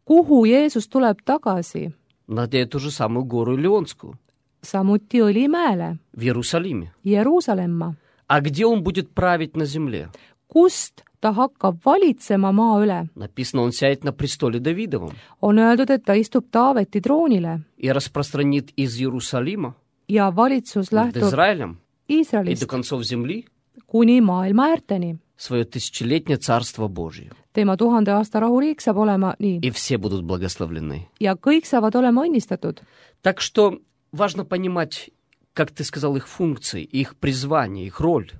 Kuhu Jeesus tuleb tagasi? На эту же самую гору Илионскую. samuti Õlimäele, в Иерусалиме. Jeruusalemma, А где он будет править на земле? kust ta hakkab valitsema maa üle. Написано, он сядет на престоле Давидовом On öeldud, et ta istub Taaveti troonile и распространит из Иерусалима ja valitsus над lähtub Израилем и до Iisraelist концов земли kuni maailma äärteni. свое тысячелетнее царство Божие. Tema tuhande aasta rahuriik saab olema nii И все будут благословлены. ja kõik saavad olema õnnistatud. Так что важно понимать, как ты сказал, их функции, их призвание, их роль.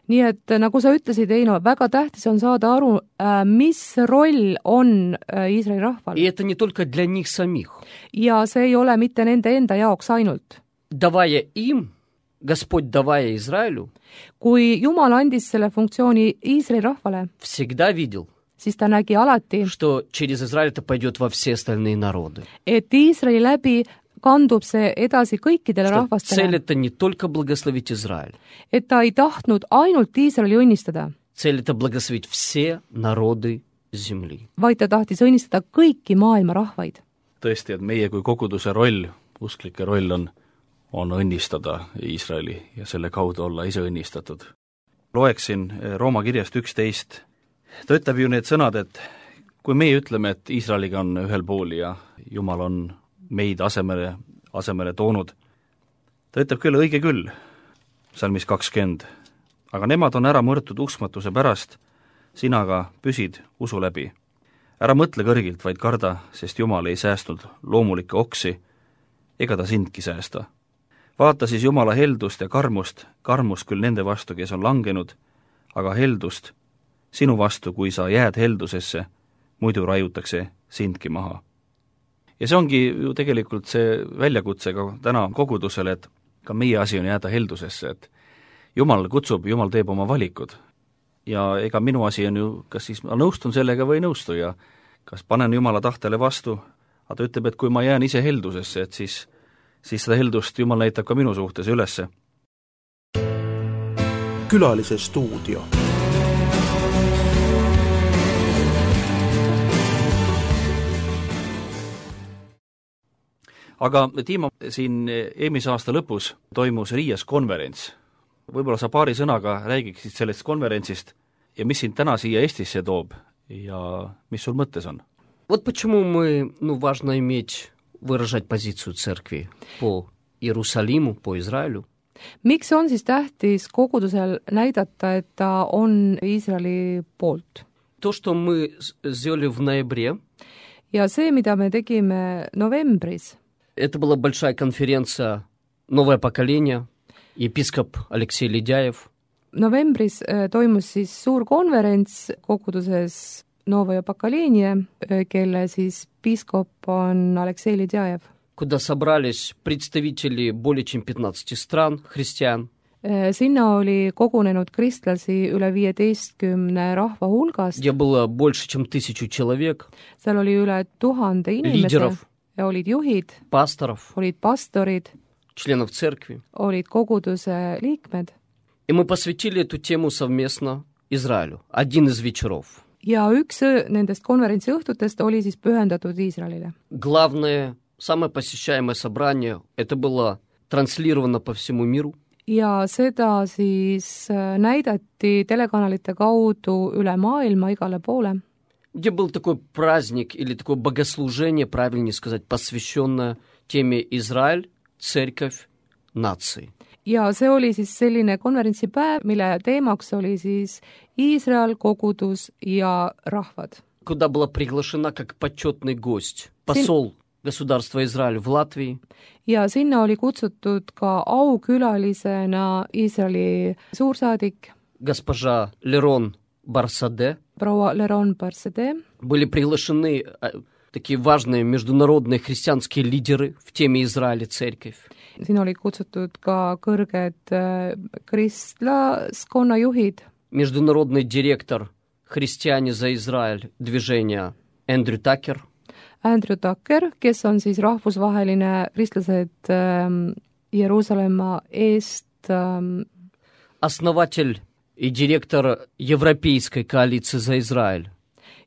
Nii et nagu sa ütlesid, Eino, väga tähtis on saada aru, mis roll on Iisraeli rahval. И это не только для них самих. Ja see ei ole mitte nende enda jaoks ainult. Давая им, Господь, давая Израилю, Kui Jumal andis selle funktsiooni Iisraeli rahvale, всегда видел, siis ta nägi alati, что через Израиль это пойдет во все остальные народы. et Iisraeli läbi kandub see edasi kõikidele Что цель rahvastele. это не только благословить Израиль, Et ta ei tahtnud ainult Iisraeli õnnistada, цель это благословить все народы земли. vaid ta tahtis õnnistada kõiki maailma rahvaid. tõesti, et meie kui koguduse roll, usklike roll on, on õnnistada Iisraeli ja selle kaudu olla ise õnnistatud. Loeksin Rooma kirjast üksteist. Ta ütleb ju need sõnad, et kui meie ütleme, et Iisraeliga on ühel pool ja Jumal on meid asemele, asemele toonud, ta ütleb küll, õige küll, salmis kakskümmend, aga nemad on ära mõrtud uskmatuse pärast, sina aga püsid usu läbi. Ära mõtle kõrgilt, vaid karda, sest Jumal ei säästnud loomulikke oksi, ega ta sindki säästa. Vaata siis Jumala heldust ja karmust, karmust küll nende vastu, kes on langenud, aga heldust sinu vastu, kui sa jääd heldusesse, muidu raiutakse sindki maha. Ja see ongi ju tegelikult see väljakutse ka täna kogudusele, et ka meie asi on jääda heldusesse, et Jumal kutsub, Jumal teeb oma valikud. Ja ega minu asi on ju, kas siis ma nõustun sellega või ei nõustu ja kas panen Jumala tahtele vastu, aga ta ütleb, et kui ma jään ise heldusesse, et siis, siis seda heldust Jumal näitab ka minu suhtes ülesse. Külalise stuudio. Aga Tiimo, siin eelmise aasta lõpus toimus Riias konverents. Võib-olla sa paari sõnaga räägiksid sellest konverentsist ja mis sind täna siia Eestisse toob ja mis sul mõttes on? Вот почему мы, ну, важно иметь, выражать позицию церкви по Иерусалиму, по Израилю. Miks on siis tähtis kogudusel näidata, et ta on Iisraeli poolt? То, что мы сделали в ноябре, Ja see, mida me tegime novembris, это была большая конференция «Новое поколение», епископ Алексей Ледяев. novembris äh, toimus siis suur konverents koguduses Novoja Pakaliinie, kelle siis piiskop on Aleksei Ledjajev. Куда собрались представители более чем пятнадцати стран, христиан. Sinna oli kogunenud kristlasi üle viieteistkümne rahva hulgast. Где было больше чем тысячу человек. Seal oli üle tuhande inimese. Лидеров. Ja olid juhid. Пасторов. Olid pastorid. Членов церкви. Olid koguduse liikmed. И мы посвятили эту тему совместно Израилю. Один из вечеров. Ja üks nendest konverentsi õhtutest oli siis pühendatud Iisraelile. Главное, самое посещаемое собрание, это было транслировано по всему миру. Ja seda siis näidati telekanalite kaudu üle maailma igale poole. Где был такой праздник или такое богослужение, правильнее сказать, посвященное теме Израиль, церковь, нации. Ja see oli siis selline konverentsipäev, mille teemaks oli siis Iisrael, kogudus ja rahvad. Куда была приглашена как почетный гость посол государства Израиль в Латвии. Ja sinna oli kutsutud ka aukülalisena Iisraeli suursaadik госпожа Лерон Барсаде. proua Leron Barsaде. Были приглашены такие важные международные христианские лидеры в теме Израиля, церковь. Siin olid kutsutud ka kõrged kristlaskonna juhid. Международный директор «Христиане за Израиль» движения Эндрю Такер. Andrew Tucker, kes on siis rahvusvaheline kristlased ähm, Jeruusalemma eest ähm, основатель и директор Европейской коалиции за Израиль.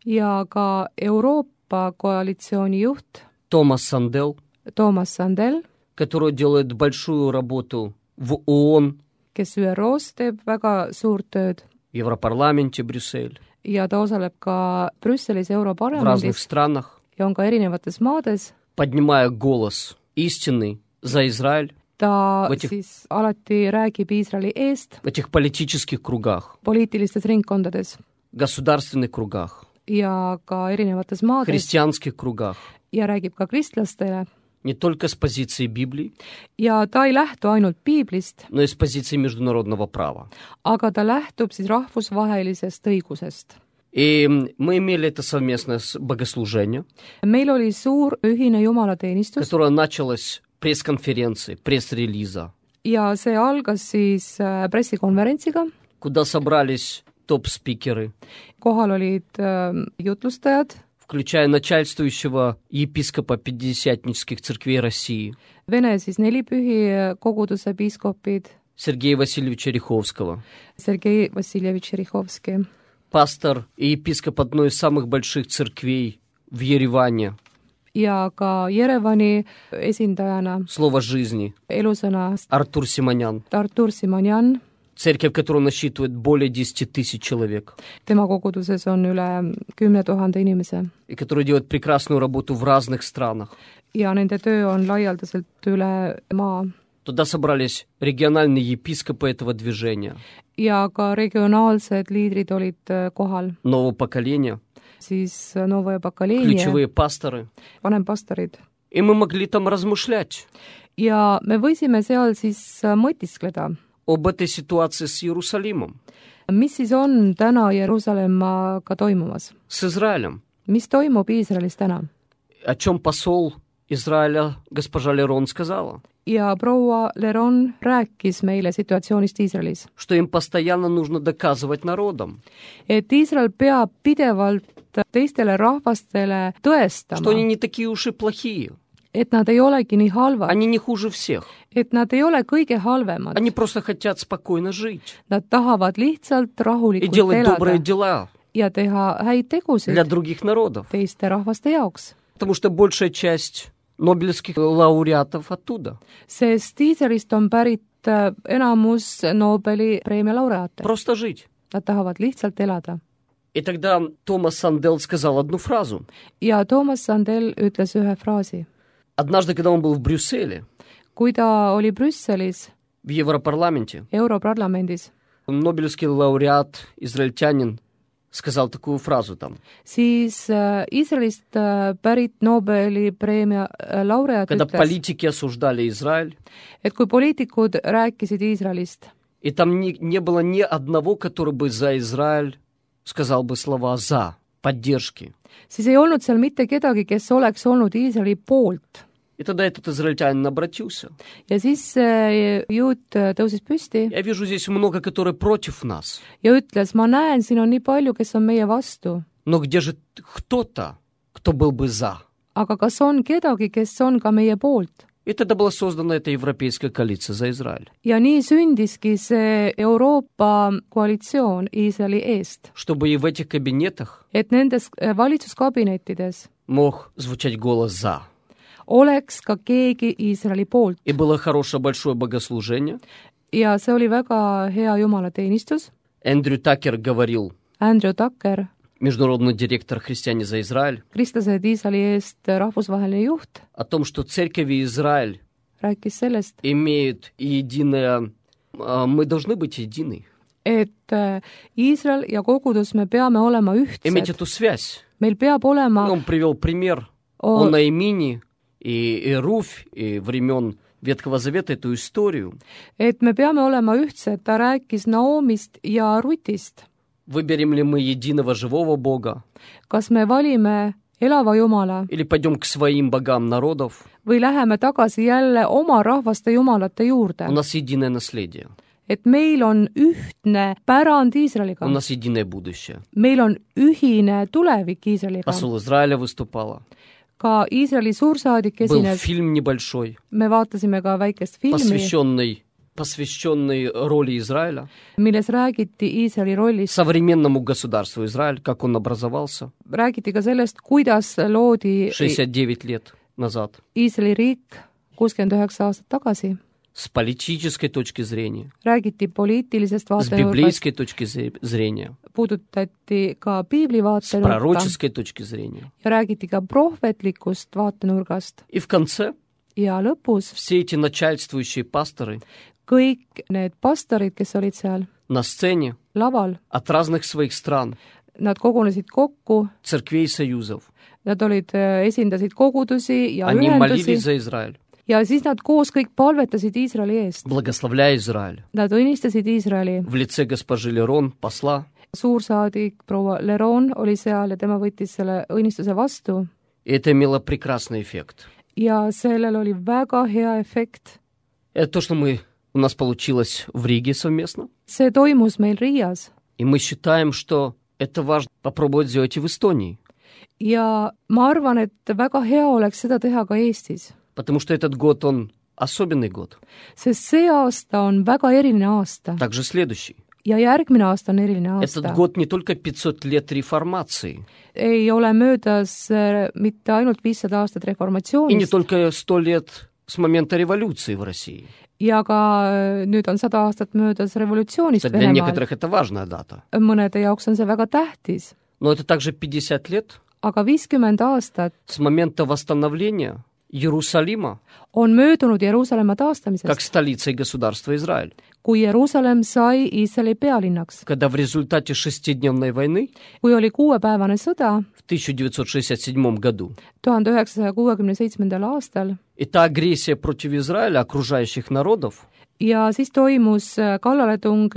Ja ka Euroopa koalitsiooni juht Томас Сандел, Toomas Sandel, который делает большую работу в ООН, kes ÜRO-s teeb väga suurt tööd в Европарламенте Брюссель, ja ta osaleb ka Brüsselis в разных Europarlamendis странах, ja on ka erinevates maades. поднимая голос истины за Израиль Ta В этих- siis alati räägib Iisraeli eest в этих политических кругах, poliitilistes ringkondades государственных кругах, ja ka erinevates maades христианских кругах, ja räägib ka kristlastele. не только с позиции Библии, Ja ta ei lähtu ainult piiblist, но и с позиции международного права. aga ta lähtub siis rahvusvahelisest õigusest. И мы имели это совместное с- богослужение, Meil oli suur ühine jumalateenistus которое началось пресс-конференции, пресс-релиза, ja see algas siis äh, pressikonverentsiga. куда собрались топ-спикеры, Kohal olid äh, jutlustajad, включая начальствующего епископа пятидесятнических церквей России Vene siis nelipühi koguduse piiskopid, Сергея Васильевича Риховского, Sergei Vassiljevitš Rihovski, пастор и епископ одной из самых больших церквей в Ереване, ja ka Jerevani esindajana Слово жизни, elusõna Артур Симонян, Artur Simonjan. церковь, которая насчитывает более десяти тысяч человек, Tema koguduses on üle kümne tuhande inimese и которая делает прекрасную работу в разных странах. ja nende töö on laialdaselt üle maa. Туда собрались региональные епископы этого движения, Ja ka regionaalsed liidrid olid äh, kohal, нового поколения, siis Novoje Bakaleenia, ключевые пасторы. vanempastorid. И мы могли там размышлять Ja me võisime seal siis äh, mõtiskleda, об этой ситуации с Иерусалимом, mis siis on täna Jeruusalemmaga toimumas. с Израилем, Mis toimub Iisraelis täna? о чем посол Израиля госпожа Лерон сказала, Ja proua Leron rääkis meile situatsioonist Iisraelis, что им постоянно нужно доказывать народам, et Iisrael peab pidevalt teistele rahvastele что они tõestama, не такие уж и плохие, et nad ei olegi nii halvad, они не хуже всех, et nad ei ole kõige halvemad. они просто хотят спокойно жить Nad tahavad lihtsalt и rahulikult делать добрые elada дела ja teha häid для tegusid других народов, teiste rahvaste jaoks. потому что большая часть нобелевских лауреатов оттуда. Sest Iisraelist on pärit äh, enamus Nobeli preemia laureaate. Просто жить. Nad tahavad lihtsalt elada. И тогда Томас Сандел сказал одну фразу. Ja Toomas Sandel ütles ühe fraasi. Однажды, когда он был в Брюсселе, Kui ta oli Brüsselis, в Европарламенте, Europarlamendis, нобелевский лауреат, израильтянин, сказал такую фразу там. siis äh, Iisraelist äh, pärit Nobeli preemia äh, laureaat Когда ütles, политики осуждали Израиль, et kui poliitikud rääkisid Iisraelist, и там не, не было ни одного, который бы за Израиль сказал бы слова «за», поддержки. siis ei olnud seal mitte kedagi, kes oleks olnud Iisraeli poolt. И тогда этот израильтянин обратился. Ja siis see juut tõusis püsti Я вижу здесь много, которые против нас. ja ütles, ma näen, siin on nii palju, kes on meie vastu, Но где же кто-то, кто был бы за? aga kas on kedagi, kes on ka meie poolt? И тогда была создана эта европейская коалиция за Израиль. Ja nii sündiski see Euroopa koalitsioon Iisraeli eest, Чтобы и в этих кабинетах et nendes valitsuskabinettides мог звучать голос «за». oleks ka keegi Iisraeli poolt. И было хорошее большое богослужение. Ja see oli väga hea jumalateenistus. Эндрю Такер говорил, Andrew Tucker, международный директор «Христиане за Израиль», kristlased Iisraeli eest rahvusvaheline juht, о том, что церковь Израиль rääkis sellest, имеет единое... а, Мы должны быть едины. et Iisrael ja kogudus, me peame olema Иметь ühtsed. эту связь. Meil peab olema Он привел пример о, о Наимине и, и Руфь, и времен Ветхого Завета эту историю. et me peame olema ühtsed. Ta rääkis Naomist ja Rutist. Выберем ли мы единого живого Бога Kas me valime elava Jumala или пойдем к своим богам народов? või läheme tagasi jälle oma rahvaste jumalate juurde? У нас единое наследие, Et meil on ühtne pärand Iisraeliga. у нас единое будущее. Meil on ühine tulevik Iisraeliga. Посол Израиля выступала. Ka Iisraeli suursaadik Был esines. фильм небольшой, Me vaatasime ka väikest filmi, посвященный, посвященный роли Израиля, milles räägiti Iisraeli rollist. современному государству Израиль, как он образовался Räägiti ka sellest, kuidas loodi шестьдесят девять лет назад. Iisraeli riik kuuskümmend üheksa aastat tagasi. С политической точки зрения, Räägiti poliitilisest с vaatenurgast, библейской точки зе- зрения, puudutati ka piibli с vaatenurka пророческой точки зрения. ja räägiti ka prohvetlikust vaatenurgast. И в конце Ja lõpus все эти начальствующие пасторы kõik need pastorid, kes olid seal на сцене laval, от разных своих стран, nad kogunesid kokku, церквей и союзов, nad olid, esindasid kogudusi ja они молились ühendusi за Израиль, ja siis nad koos kõik palvetasid Iisraeli eest. благословляя Израиль. Nad õnnistasid Iisraeli. В лице госпожи Лерон, посла, Suursaadik proua Leron oli seal ja tema võttis selle õnnistuse vastu и это имело прекрасный эффект. ja sellel oli väga hea efekt. Это то, что мы, у нас получилось в Риге совместно, See toimus meil Riias и мы считаем, что это важно попробовать сделать и в Эстонии, ja ma arvan, et väga hea oleks seda teha ka Eestis, потому что этот год, он особенный год, sest see aasta on väga eriline aasta также следующий. ja järgmine aasta on eriline Этот aasta. год не только пятьсот лет реформации, Ei ole möödas äh, mitte ainult viissada aastat и не reformatsioonist только сто лет с момента революции в России. ja ka äh, nüüd on sada aastat möödas revolutsioonist Для Venemaal. некоторых это важная дата. Mõnede jaoks on see väga tähtis, Но это также пятьдесят лет aga viiskümmend aastat с момента восстановления Иерусалима on möödunud Jeruusalemma taastamisest, как столица и государства Израиль, kui Jeruusalemm sai Iisraeli pealinnaks. когда в результате шестидневной войны Kui oli kuuepäevane sõda в тысяча девятьсот шестьдесят седьмом году tuhande üheksasaja kuuekümne seitsmendal aastal и та агрессия против Израиля окружающих народов, ja siis toimus kallaletung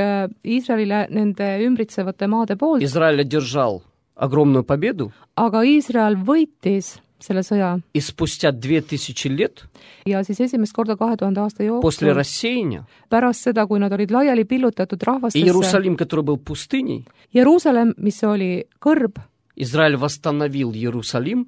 Iisraelile nende ümbritsevate maade poolt, Израиль одержал огромную победу, aga Iisrael võitis selle sõja и спустя две тысячи лет ja siis esimest korda kahe tuhande aasta после jooksul, рассеяния pärast seda, kui nad olid laiali pillutatud и rahvastesse, Иерусалим, который был пустыней, Jeruusalemm, mis oli kõrb, Израиль восстановил Иерусалим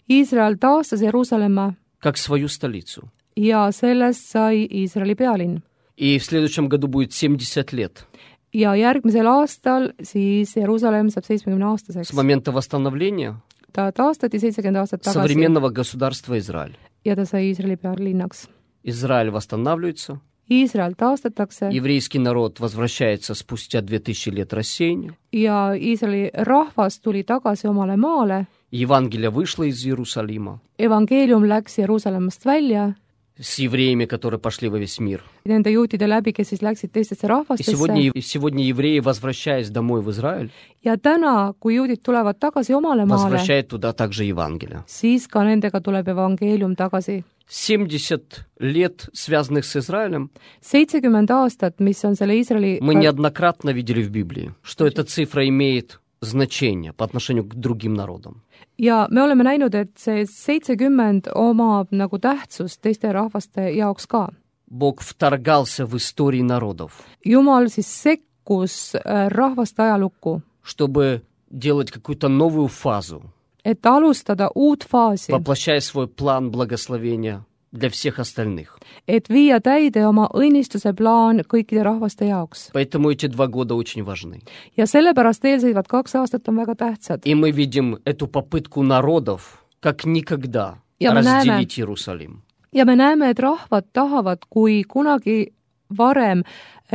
Iisrael taastas Jeruusalemma как свою столицу. ja sellest sai Iisraeli pealinn. И в следующем году будет семьдесят лет Ja järgmisel aastal siis Jeruusalemm saab seitsmekümne aastaseks. с момента восстановления Ta taastati seitsekümmend aastat tagasi современного государства Израиль. ja ta sai Iisraeli pealinnaks. Израиль восстанавливается, Iisrael taastatakse еврейский народ возвращается спустя две тысячи лет рассеяния, ja Iisraeli rahvas tuli tagasi omale maale, Евангелие вышло из Иерусалима evangeelium läks Jeruusalemmast välja с евреями, которые пошли во весь мир. nende juutide läbi, kes siis läksid teistesse И rahvastesse. сегодня, и сегодня евреи, возвращаясь домой в Израиль, Ja täna, kui juudid tulevad tagasi omale maale, возвращают туда также Евангелие. siis ka nendega tuleb evangeelium tagasi. семьдесят лет, связанных с Израилем, seitsekümmend aastat, mis on selle Iisraeli мы неоднократно видели в Библии, что эта цифра имеет значение по отношению к другим народам. ja me oleme näinud, et see seitsekümmend omab nagu tähtsust teiste rahvaste jaoks ka. Бог вторгался в истории народов, Jumal siis sekkus äh, rahvaste ajalukku, чтобы делать какую-то новую фазу, et alustada uut faasi, воплощая свой план благословения для всех остальных. et viia täide oma õnnistuse plaan kõikide rahvaste jaoks. Поэтому эти два года очень важны. Ja sellepärast eelseisvad kaks aastat on väga tähtsad. И мы видим эту попытку народов, как никогда, Ja me näeme- разделить Иерусалим. Ja me näeme, et rahvad tahavad, kui kunagi varem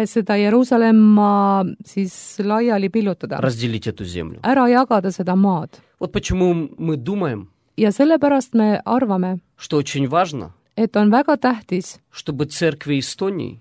seda Jeruusalemma siis laiali pillutada, Разделить эту землю. ära jagada seda maad. Вот почему мы думаем, Ja sellepärast me arvame, что очень важно, et on väga tähtis, чтобы церкви Эстонии,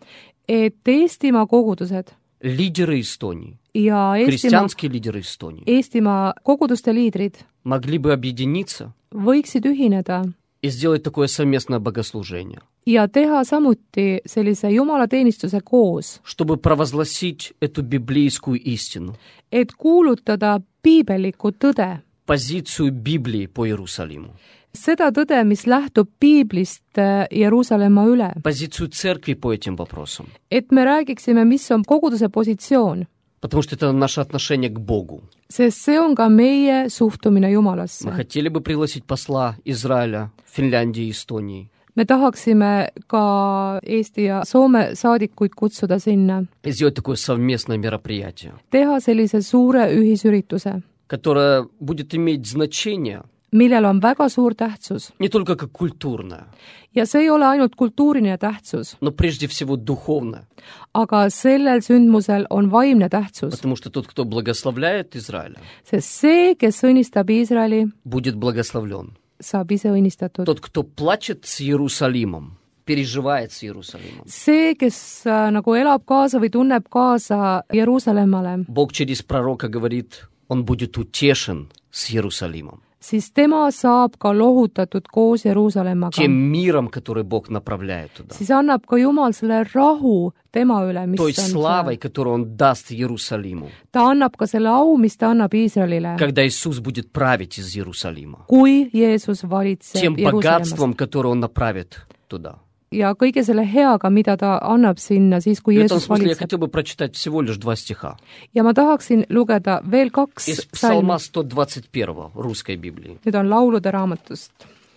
et Eestimaa kogudused лидеры Эстонии, ja Eestimaa, христианские лидеры Эстонии, Eestimaa koguduste liidrid могли бы объединиться võiksid ühineda и сделать такое совместное богослужение, ja teha samuti sellise jumalateenistuse koos, чтобы провозгласить эту библейскую истину, et kuulutada piibellikku tõde, позицию Библии по Иерусалиму, seda tõde, mis lähtub piiblist Jeruusalemma üle, позицию церкви по этим вопросам, et me räägiksime, mis on koguduse positsioon, потому что это наше отношение к Богу. sest see on ka meie suhtumine Мы Jumalasse. хотели бы пригласить посла Израиля, Финляндии и Эстонии Me tahaksime ka Eesti ja Soome saadikuid kutsuda sinna, и сделать такое совместное мероприятие, teha sellise suure ühisürituse, которое будет иметь значение millel on väga suur tähtsus. Не только как культурная, Ja see ei ole ainult kultuuriline tähtsus, но прежде всего духовная. aga sellel sündmusel on vaimne tähtsus, Потому что тот, кто благословляет Израиля, sest see, kes õnnistab Iisraeli, будет благословлен. saab ise õnnistatud. Тот, кто плачет с Иерусалимом, переживает с Иерусалимом. See, kes äh, nagu elab kaasa või tunneb kaasa Jeruusalemmale, Бог через пророка говорит, он будет утешен с Иерусалимом. siis tema saab ka lohutatud koos Jeruusalemmaga. Тем миром, который Бог направляет туда. Siis annab ka Jumal selle rahu tema üle, mis Той on славой, seal. которую он даст Иерусалиму. Ta annab ka selle au, mis ta annab Iisraelile, Когда Иисус будет править из Иерусалима. kui Jeesus valitseb Тем Jeruusalemmast. богатством, которое он направит туда. Ja kõige selle heaga, mida ta annab sinna siis, kui В этом Jeesus смысле я valitseb. хотел бы прочитать всего лишь два стиха. Ja ma tahaksin lugeda veel kaks Из psalmi. Псалма сто двадцать первого русской Библии. Nüüd on laulude raamatust.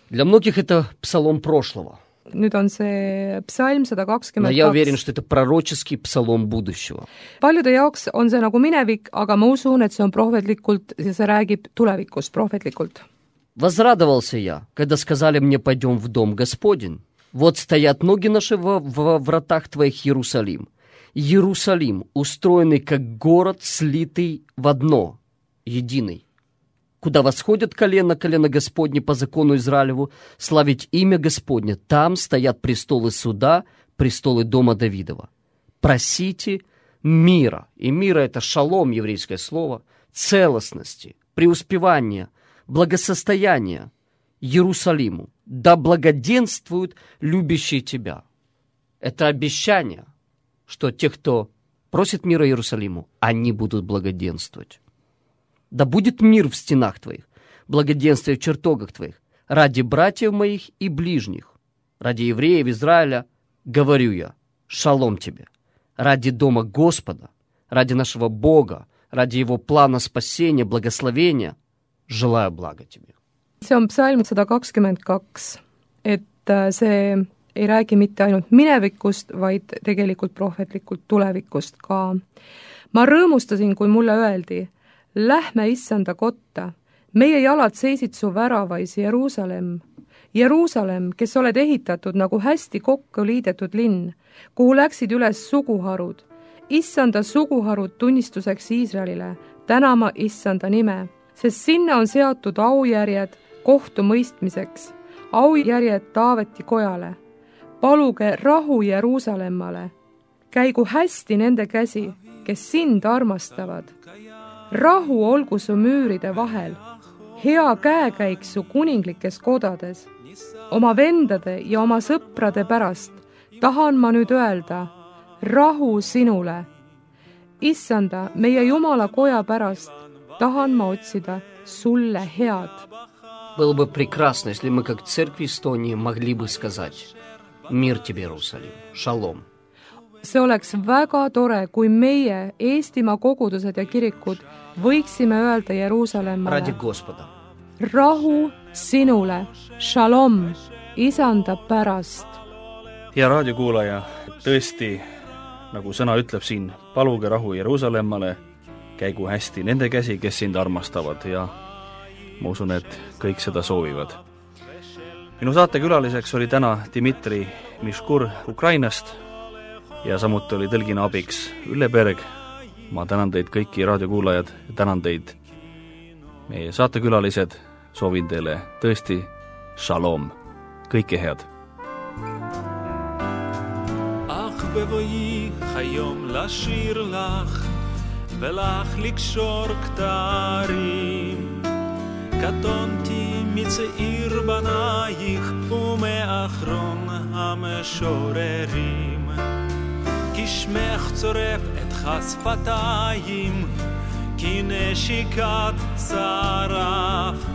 Для многих это псалом прошлого. Nüüd on see psalm sada Но kakskümmend я уверен, kaks. что это пророческий псалом будущего. Paljude jaoks on see nagu minevik, aga ma usun, et see on prohvetlikult ja see räägib tulevikust prohvetlikult. Возрадовался я, когда сказали мне, пойдем в дом Господень. Вот стоят ноги наши во, во вратах твоих, Иерусалим. Иерусалим, устроенный как город, слитый в одно, единый. Куда восходят колено, колено Господне по закону Израилеву, славить имя Господне. Там стоят престолы суда, престолы дома Давидова. Просите мира. И мира — это шалом, еврейское слово, целостности, преуспевания, благосостояния Иерусалиму. Да благоденствуют любящие тебя. Это обещание, что те, кто просит мира Иерусалиму, они будут благоденствовать. Да будет мир в стенах твоих, благоденствие в чертогах твоих, ради братьев моих и ближних, ради евреев Израиля, говорю я, шалом тебе, ради дома Господа, ради нашего Бога, ради Его плана спасения, благословения, желаю блага тебе. See on psalm sada kakskümmend kaks, et see ei räägi mitte ainult minevikust, vaid tegelikult prohvetlikult tulevikust ka. Ma rõõmustasin, kui mulle öeldi, lähme issanda kotta, meie jalad seisid su väravais, Jeruusalemm. Jeruusalemm, kes oled ehitatud nagu hästi kokku liidetud linn, kuhu läksid üles suguharud. Issanda suguharud tunnistuseks Iisraelile, tänama issanda nime, sest sinna on seatud aujärjed kohtu mõistmiseks, aujärjed Taaveti kojale. Paluge rahu Jeruusalemmale, käigu hästi nende käsi, kes sind armastavad. Rahu olgu su müüride vahel, hea käekäik su kuninglikes kodades. Oma vendade ja oma sõprade pärast tahan ma nüüd öelda, rahu sinule. Issanda, meie Jumala koja pärast tahan ma otsida sulle head. Было бы прекрасно, если мы, как церкви Эстонии, могли бы сказать «Мир тебе, Иерусалим, шалом». See oleks väga tore, kui meie, Eestimaa kogudused ja kirikud, võiksime öelda Ради Jeruusalemmale Господа. rahu sinule, shalom, isanda pärast. hea raadiokuulaja, tõesti, nagu sõna ütleb siin, paluge rahu Jeruusalemmale, käigu hästi nende käsi, kes sind armastavad ja ma usun, et kõik seda soovivad. Minu saatekülaliseks oli täna Dmitri Miškur Ukrainast ja samuti oli tõlgina abiks Ülle Berg. Ma tänan teid kõiki raadiokuulajad ja tänan teid meie saatekülalised. Soovin teile tõesti shalom. Kõike head. אך בבואי היום לשיר לך ולך לקשור כתרים קטונתי מצעיר בנייך ומאחרון המשוררים כי שמך צורף את חשפתיים כי נשיקת שרף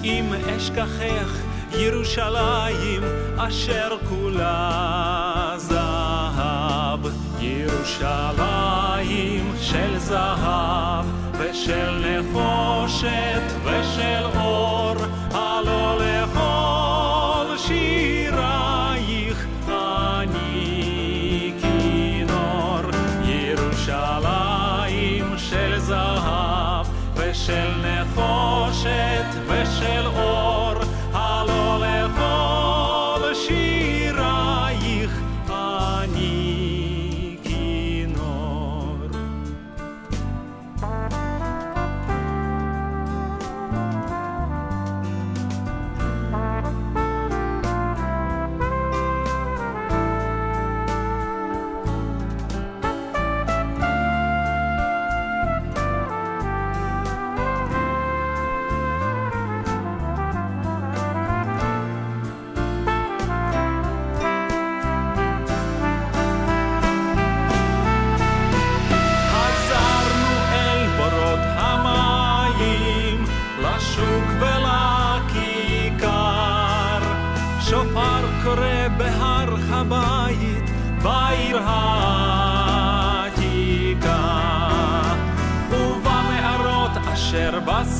אם אשכחך ירושלים אשר כולה זהב ירושלים של זהב ושל נחושת ושל אור הלא לכל שירייך אני כינור ירושלים של זהב ושל נחושת ושל אור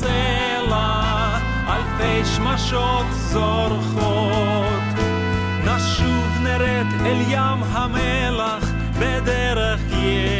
הסלע, אלפי שמשות זורחות. נשוב נרד אל ים המלח בדרך ים.